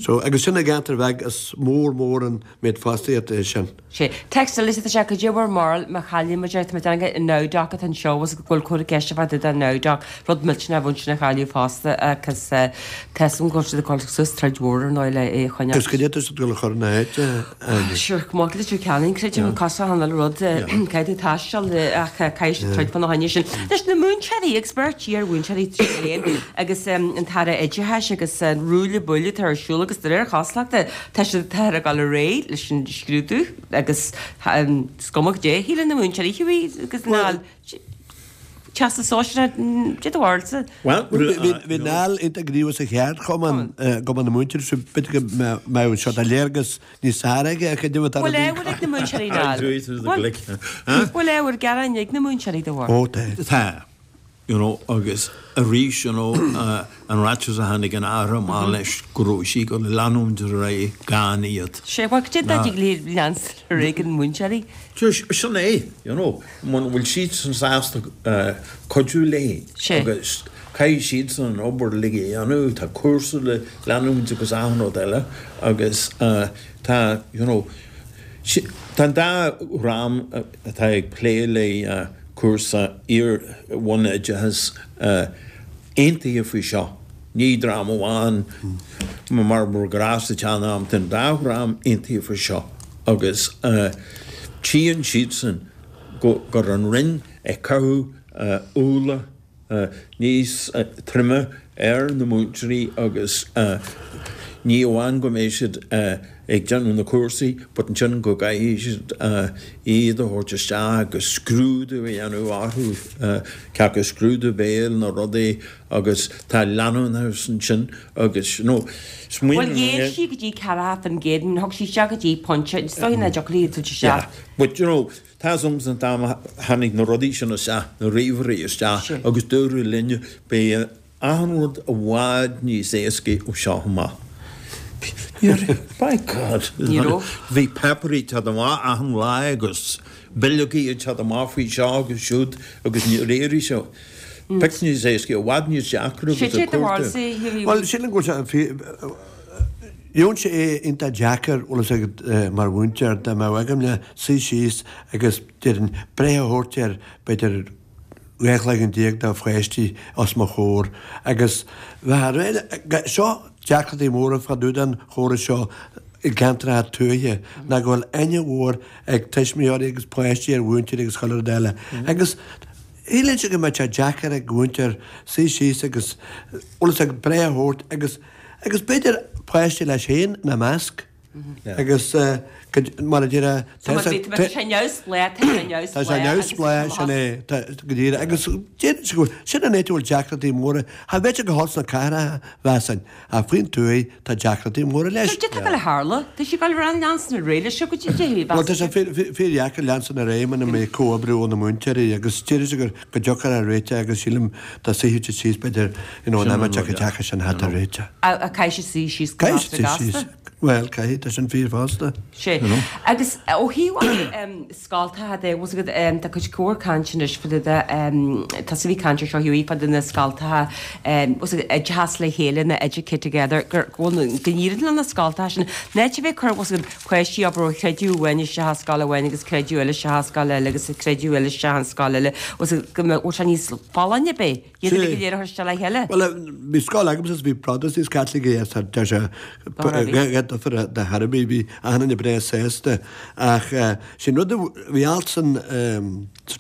So agus sin i gceantar bheag is mór mór an méid fostaíochta é sin. Sé. Téacs eile is ea cad é bhur mbarúil má chailleann muid é, tá mé ag déanamh an Nowdoc atá anseo agus go bhfuil cúpla ceist fá dtaobh den Nowdoc, rud millteanach a bhaint sin a chailleadh fosta agus tá 'fhios agam go bhfuil siad ag dul suas troid mhór ar ndóigh le é a choinneáil. Agus cad é atá siad ag dul a chur ina áit, Áine? Sure, chomh maith le Leitir Ceanainn, creidim, cosúil an uile rud, caithfidh tú taisteal ach caithfidh siad troid fána choinne sin. Leis na múinteoirí agus beirt iar-mhúinteoirí trí chéile agus an tAire Oideachais agus an ruaille buaille atá ar siúl agus de réir chosúlachta Tá siad táthar ag dul ar aghaidh leis an scrúdú agus is cuma cad é a shíleann na múinteoirí Hughie agus Niall Teastas Sóisearach cad é do bharúilsa. Bhí Niall iontach gníomhach sa cheardchumann gCumann na Múinteoirí so b'fhéidir go mbeadh seo tá léargas níos fearr aige ar cad é atá Bhfuil ábhar ag na múinteoirí Niall? Bhfuil ábhar gearáin ag na múinteoirí do bharr? Ó tá. Tá. you know agus arís you know an ráiteas a tháinig an Aire amach leis go raibh sí ag dul a leanúint ar aghaidh gan iad. Sé bhuel cad é dá dtig léi leanstan ar aghaidh gan múinteoirí? Sin é you know muna bhfuil siadsan sásta cuidiú léi agus caithfidh siadsan an obair uilig a dhéanamh, tá cúrsa le leanúint agus achan rud eile agus tá you know tá an dá dhream atá ag plé le cúrsa iar-bhunoideachais aontaithe faoi seo. Ní dream amháin mar ba ghnách sa tsean-am, tá an dá dhream aontaithe faoi seo agus tchíonn siadsan go raibh an Roinn ag caitheamh ualach níos troime ar na múinteoirí agus ní amháin go mbeidh siad ag ag déanamh na cúrsaí, but ansin go gcaithfidh siad iad a thabhairt isteach agus scrúdú a dhéanamh orthu, cé acu scrúdú béil nó rudaí agus tá leanúnachas ansin agus you know, Bhuel dhéan sí go dtí ceathracha faoin gcéad, thug sí isteach go dtí pointe, is dóigh nach dtiocfadh léi tabhairt isteach. Yeah, but you know, tá 'fhios a'msa an t-am a tháinig na rudaí sin isteach, na ríomhairí isteach agus dúradh linne beidh achan rud i bhfad níos éascaí ó seo amach. By God! Ní raibh. Bhí páipéirí ag teacht amach achan lá agus bileogaí ag teacht amach faoi seo agus siúd agus níor éirigh sé pioc níos éascaí, i bhfad níos deacra agus Sé a do cuartú. bharúilsa, Hughie? Bhuel, sílim go bhfuil sé Gheobhainn sé é iontach deacair, bhfuil fhios agat, mar mhúinteoir, dá mbeadh agam le suí síos agus, déarfainn, breith a thabhairt ar, b'fhéidir, dhá chloigeann déag de pháistí os mo chomhair agus bheith a rá, seo deacrachtaí móra fá dtaobh den chóras seo i gceantracha tuaithe ná go bhfuil aithne mhór ag tuismitheoirí agus páistí ar mhúinteoirí agus chuile rud eile agus shílfinnse go mbeadh sé deacair ag mhúinteoir suí síos agus bhfuil fhios agat breith a thabhairt agus agus b'fhéidir páiste leis féin ina measc. Agus mar a déarfá, Tá sé neamhspleách, tá sé neamhspleách. Tá sé neamhspleách, sin é, go díreach. Agus déarfainnse go bhfuil, sin an áit a bhfuil deacrachtaí móra, cha bheadh sé go holc sna cathracha, mheasfainn, ach faoin tuaith tá deacrachtaí móra leis. Cad atá ag dul a tharlú? Tá sé ag dul ar leanstan ar aghaidh leis seo go dtí deireadh, Bhuel, tá sé fíordheacair leanstan ar aghaidh muna mbeidh comhoibriú ó na múinteoirí agus déarfainnse go go dtiocfar ar réiteach agus sílim dá suífeadh siad síos b'fhéidir, you know, an am a dtiocfaidh deacair sin thart ar réiteach. Caithfidh siad suí síos go Caithfidh siad suí síos. Bhuel, caithfidh, tá sin fíor fosta. Sea. Agus ó thaobh scoltacha de, bhfuil 's agat, tá cuid mhór cainte anois fá dtaobh de, tá a bhí caint ar seo Hughie fá dtaobh de na scoltacha, bhfuil 's agat, oideachas le chéile nó educate together, gur, go bhfuil, go n-éiríonn le na scoltacha sin, in áit a bheith ag cur, bhfuil 's agat, páistí abair ó chreideamh amháin isteach i scoil amháin agus creideamh eile isteach i scoil eile agus creideamh eile isteach i scoil eile, bhfuil 's agat, go mbeadh, bhfuil sé níos folláine ar bith, iad uilig go léir a chur isteach le chéile. Bhuel, bhí scoil agamsa is bhí Protastúnaigh is Caitlicigh is tá sé dhá difear de thairbhí, bhí achan duine breá sásta. Ach sin rud a bhí alt san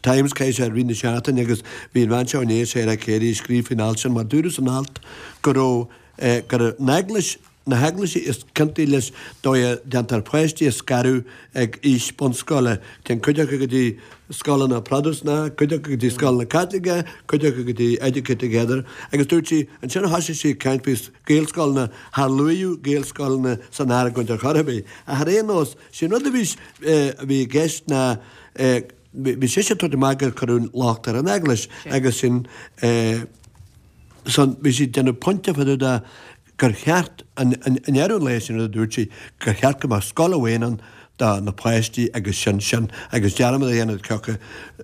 Times caithfidh sé i rith na seachtaine agus bhí an bhean seo inné, Sarah Carey, ag scríobh faoin alt sin mar dúradh san alt go raibh go raibh an Eaglais na heaglaisí is ciontaí leis dóigh a déantar páistí a scaradh ag aois bunscoile. Téann cuid acu go dtí scoileanna Protastúnacha, cuid acu go dtí scoileanna Caitliceacha, cuid acu go dtí Educate Together. Agus dúirt sí, ansin thosaigh sí ag caint faoi Ghaelscoileanna, char luaíodh Gaelscoileanna san argóint ar chor ar bith. Ach ar aon nós, sé an rud a bhí a bhí i gceist ná bhí sise ag tabhairt amach gur cuireadh locht ar an Eaglais agus sin san bhí sí ag déanamh pointe fá dtaobh de gur cheart, i ndeireadh an lae, sin rud a dúirt sí, gur cheart go mbeadh scoil amháin ann do na páistí agus sin sin agus dearmad a dhéanamh cé acu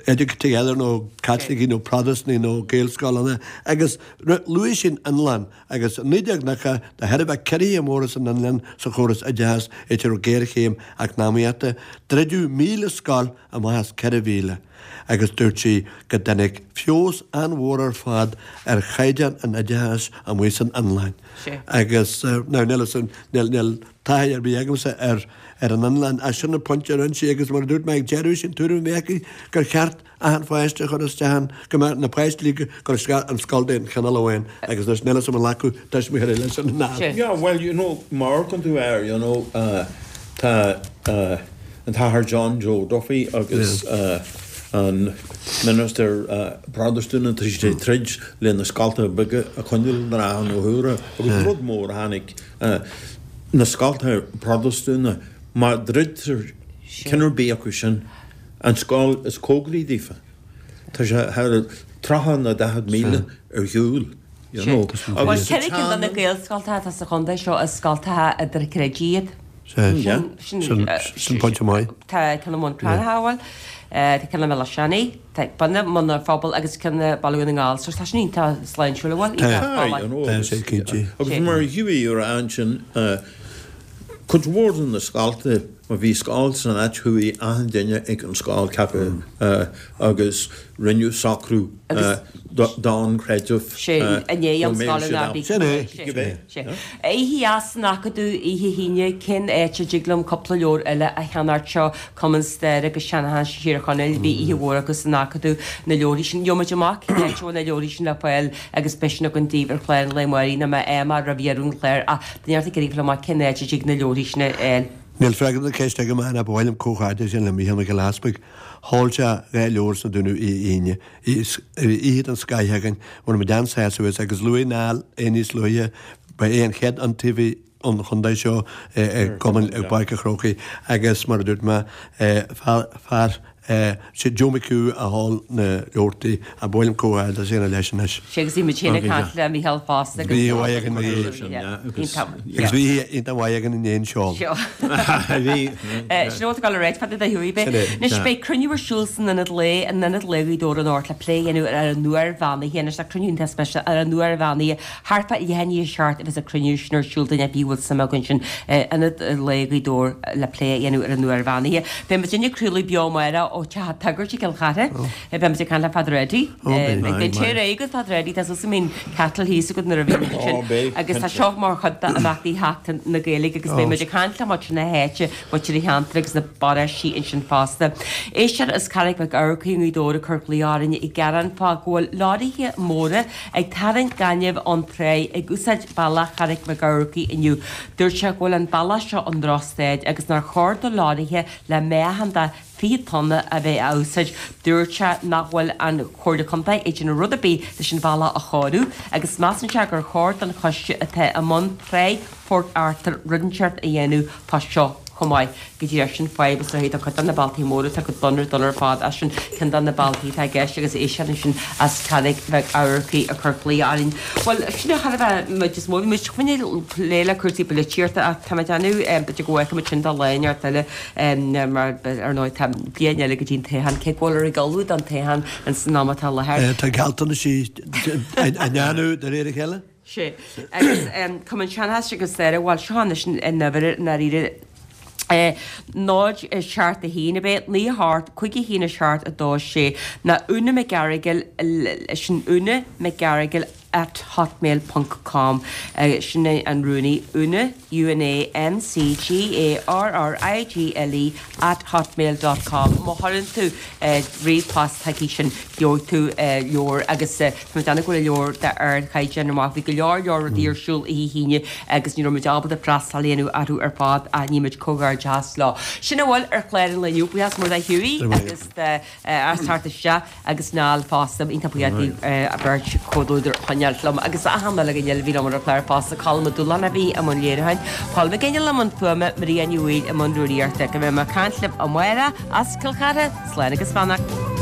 Educate Together nó Caitlicigh nó Protastúnaigh nó Gaelscoileanna agus luaigh sí an Fhionlainn agus i naoi déag nócha de thairbhe ciorruithe móra san Fhionlainn sa chóras oideachais áit a raibh géarchéim eacnamaíochta, druideadh míle scoil amach as ceithre mhíle. Agus dúirt sí go dtáinig feabhas an-mhór ar fad ar chaighdeán an oideachais amuigh san Fhionlainn. Agus now níl fhios agam, níl, níl taithí ar bith agamsa ar, ar an Fhionlainn ach sin an pointe a rinne sí agus mar a dúirt mé ag deireadh, sin tuairim a bhí aici gur cheart achan pháiste a chur isteach ann, go mbeadh na páistí uilig ag dul isteach an scoil d'aon chineál amháin agus anois níl fhios agam an nglacfadh tuismitheoirí leis sin nó. Yeah, well, you know, má amharcann tú air, you know, tá, an tAthair John Joe Duffy agus an ministir Protastúnach tá siad ag troid le na scoltacha beaga a choinneáil de rátha na huaire agus rud mór a tháinig na scoltacha Protastúnacha má dhruidtear ceann ar bith acu sin an scoil is cóngaraí daofa tá sé thar tríocha nó daichead míle ar shiúl you know Bhuel ceithre cinn de na Gaelscoltacha atá sa chontae seo is scoltacha idirchreidimh iad. Sin pointe maith. Tá ceann i mBun Cranncha, bhuel, tá ceann i mBéal Átha Seanaidh, tá bun i mBun an Phobail agus ceann i Baile Dhún na nGall. So tá sin iontach sláintiúil, bhuel, iontach folláin. Tá sé cinnte. Agus mar a gheobhaidh ar ansin, cuid mhór de na scoltacha Má bhí scoil san áit chuaigh achan duine ag an scoil ceapadh agus rinneadh socrú don chreideamh Sé i ndiaidh an scoil ná bí Sin é. Sé. Oíche dheas san Acadamh oíche hAoine cén áit a dtig liom cúpla leabhar eile a cheannacht seo Cumann Staire agus Seanchais Thír Chonaill bhí oíche mhór acu san Acadamh na leabharthaí sin. Gheobhaimid amach cén áit a bhfuil na leabharthaí sin le fáil agus beidh sin againn daoibh ar chlár an lae amárach nó má fhaighim roimh dheireadh an chláir ach tá neart ag iarraidh fáil amach cén áit a dtig na leabharthaí sin a fháil. Níl freagra na ceiste agam ach ba mhaith liom comhghairdeas a dhéanamh le Mícheál Mac Giolla Easpaig. Sheol sé dhá leabhar sna Dúnaibh oíche Aoine. Oíche den scoith againn, bhain muid an-sásamh as agus luaigh Niall é níos luaithe, ba é an chéad iontaobhaí an chontae seo i gCumann i bPáirc an Chrócaigh agus mar a dúirt mé, fear Sé Joe McHugh a sheol na leabhartaí ach ba mhaith liom comhghairdeas a dhéanamh leis anois. Sé agus bhí muid féin ag caint le Mícheál fosta agus Bhí mhaith againn agus bhí iontach mhaith againn i ndiaidh an seol. Bhí. Sin rud atá le ráit fada do Hughie B'é. Anois beidh cruinniú ar siúl san Ionad Lae, in Ionad Lae Ghaoth Dobhair anocht le plé a dhéanamh ar an uair bheannaithe. Anois tá cruinniú iontach speisialta ar an uair bheannaithe. Thart fá leath i ndiaidh a seacht a bheas an cruinniú sin ar siúl duine ar bith a bhfuil suim acu ansin Ionad Lae Ghaoth Dobhair le plé a dhéanamh ar an uair bheannaithe. Beidh muid ag craoladh beo amárach ó Teach an tSagairt i gCill Chartha. Beidh muid ag caint le Father Eddie. Beidh tae réidh agat Father Eddie, tá suas i mbíonn kettle thíos agat nuair a bhíonn muid ansin. Agus tá seo mar chuid d'imeachtaí Sheachtain na Gaeilge agus beidh muid ag caint le muintir na háite, muintir an cheantair agus na paróistí ansin fosta. Éisteoir as Carraig Mhic Eachmharcaigh i nGaoth Dobhair ag cur glaoch orainn ag gearán fá go bhfuil leoraithe móra ag tarraingt gainimh ón tráigh ag úsáid bealach Charraig Mhic Eachmharcaigh inniu. Dúirt sé go bhfuil an bealach seo i ndrochstaid agus nár chóir do leoraithe le meáchan de fiche tonna a bheith á úsáid. Dúirt sé nach bhfuil an Chomhairle Contae ag déanamh rud ar bith leis an bhealach a chóiriú agus measann sé gur chóir don choiste atá i mbun Tráigh Phort Arthur rud inteacht a dhéanamh fá seo chomh maith. Go díreach sin fadhb is dóichí do chuid de na bealtaí móra atá go dona dona ar fad as sin ceann de na bealtaí atá i gceist agus éisteoir ansin as Carraig Mhic Eachmharcaigh ag cur glaoch orainn. Bhuel, sin é char a bheith muid is mó bhí muid chun plé le cúrsaí polaitíochta ach tá mé ag déanamh b'fhéidir go bhfeicfidh muid sin do lá inteacht eile mar ar ndóigh tá bliain eile go dtí an toghchán cé go bhfuil ag ullmhú don toghchán ins an am atá i láthair. Tá gealltanais á ndéanamh de réir a chéile. Sé. Agus Cumann Seanchais agus Staire, bhuel seo anois an uimhir i ndáiríre náid seacht a haon ab é, naoi a hocht, cúig a haon a seacht a dó sé, ná Úna McGarrigle, sin Úna McGarrigle at hotmail ponc com, sin é an rúnaí, Úna, U N A M C G A R R I G L E at hotmail dot com. Má chuireann tú ríomhphost chuici sin gheobhaidh tú leabhar agus tá mé ag déanamh go bhfuil leabhar d'ardchaighdeán amach. Bhí go leor leor rudaí ar siúl oíche hAoine agus ní raibh muid ábalta freastal a dhéanamh orthu ar fad ach ní muid comhghairdeas leo. Sin a bhfuil ar chlár an lae inniu. Buíochas mór do Hughie agus as teacht isteach agus Niall fosta iontach buíoch daoibh a bheirt comhluadar a choinneáilt liom agus achan uile dhuine eile a bhí liom ar an chlár fosta, Colm Ó Dúláin a bhí i mbun léiriúcháin, Paul McGinley i mbun fuaime, Maria Ní Bhaoill i mbun rúnaíochta. Go mbeidh mé ag caint libh amárach as Cill Chartha, slán agus beannacht.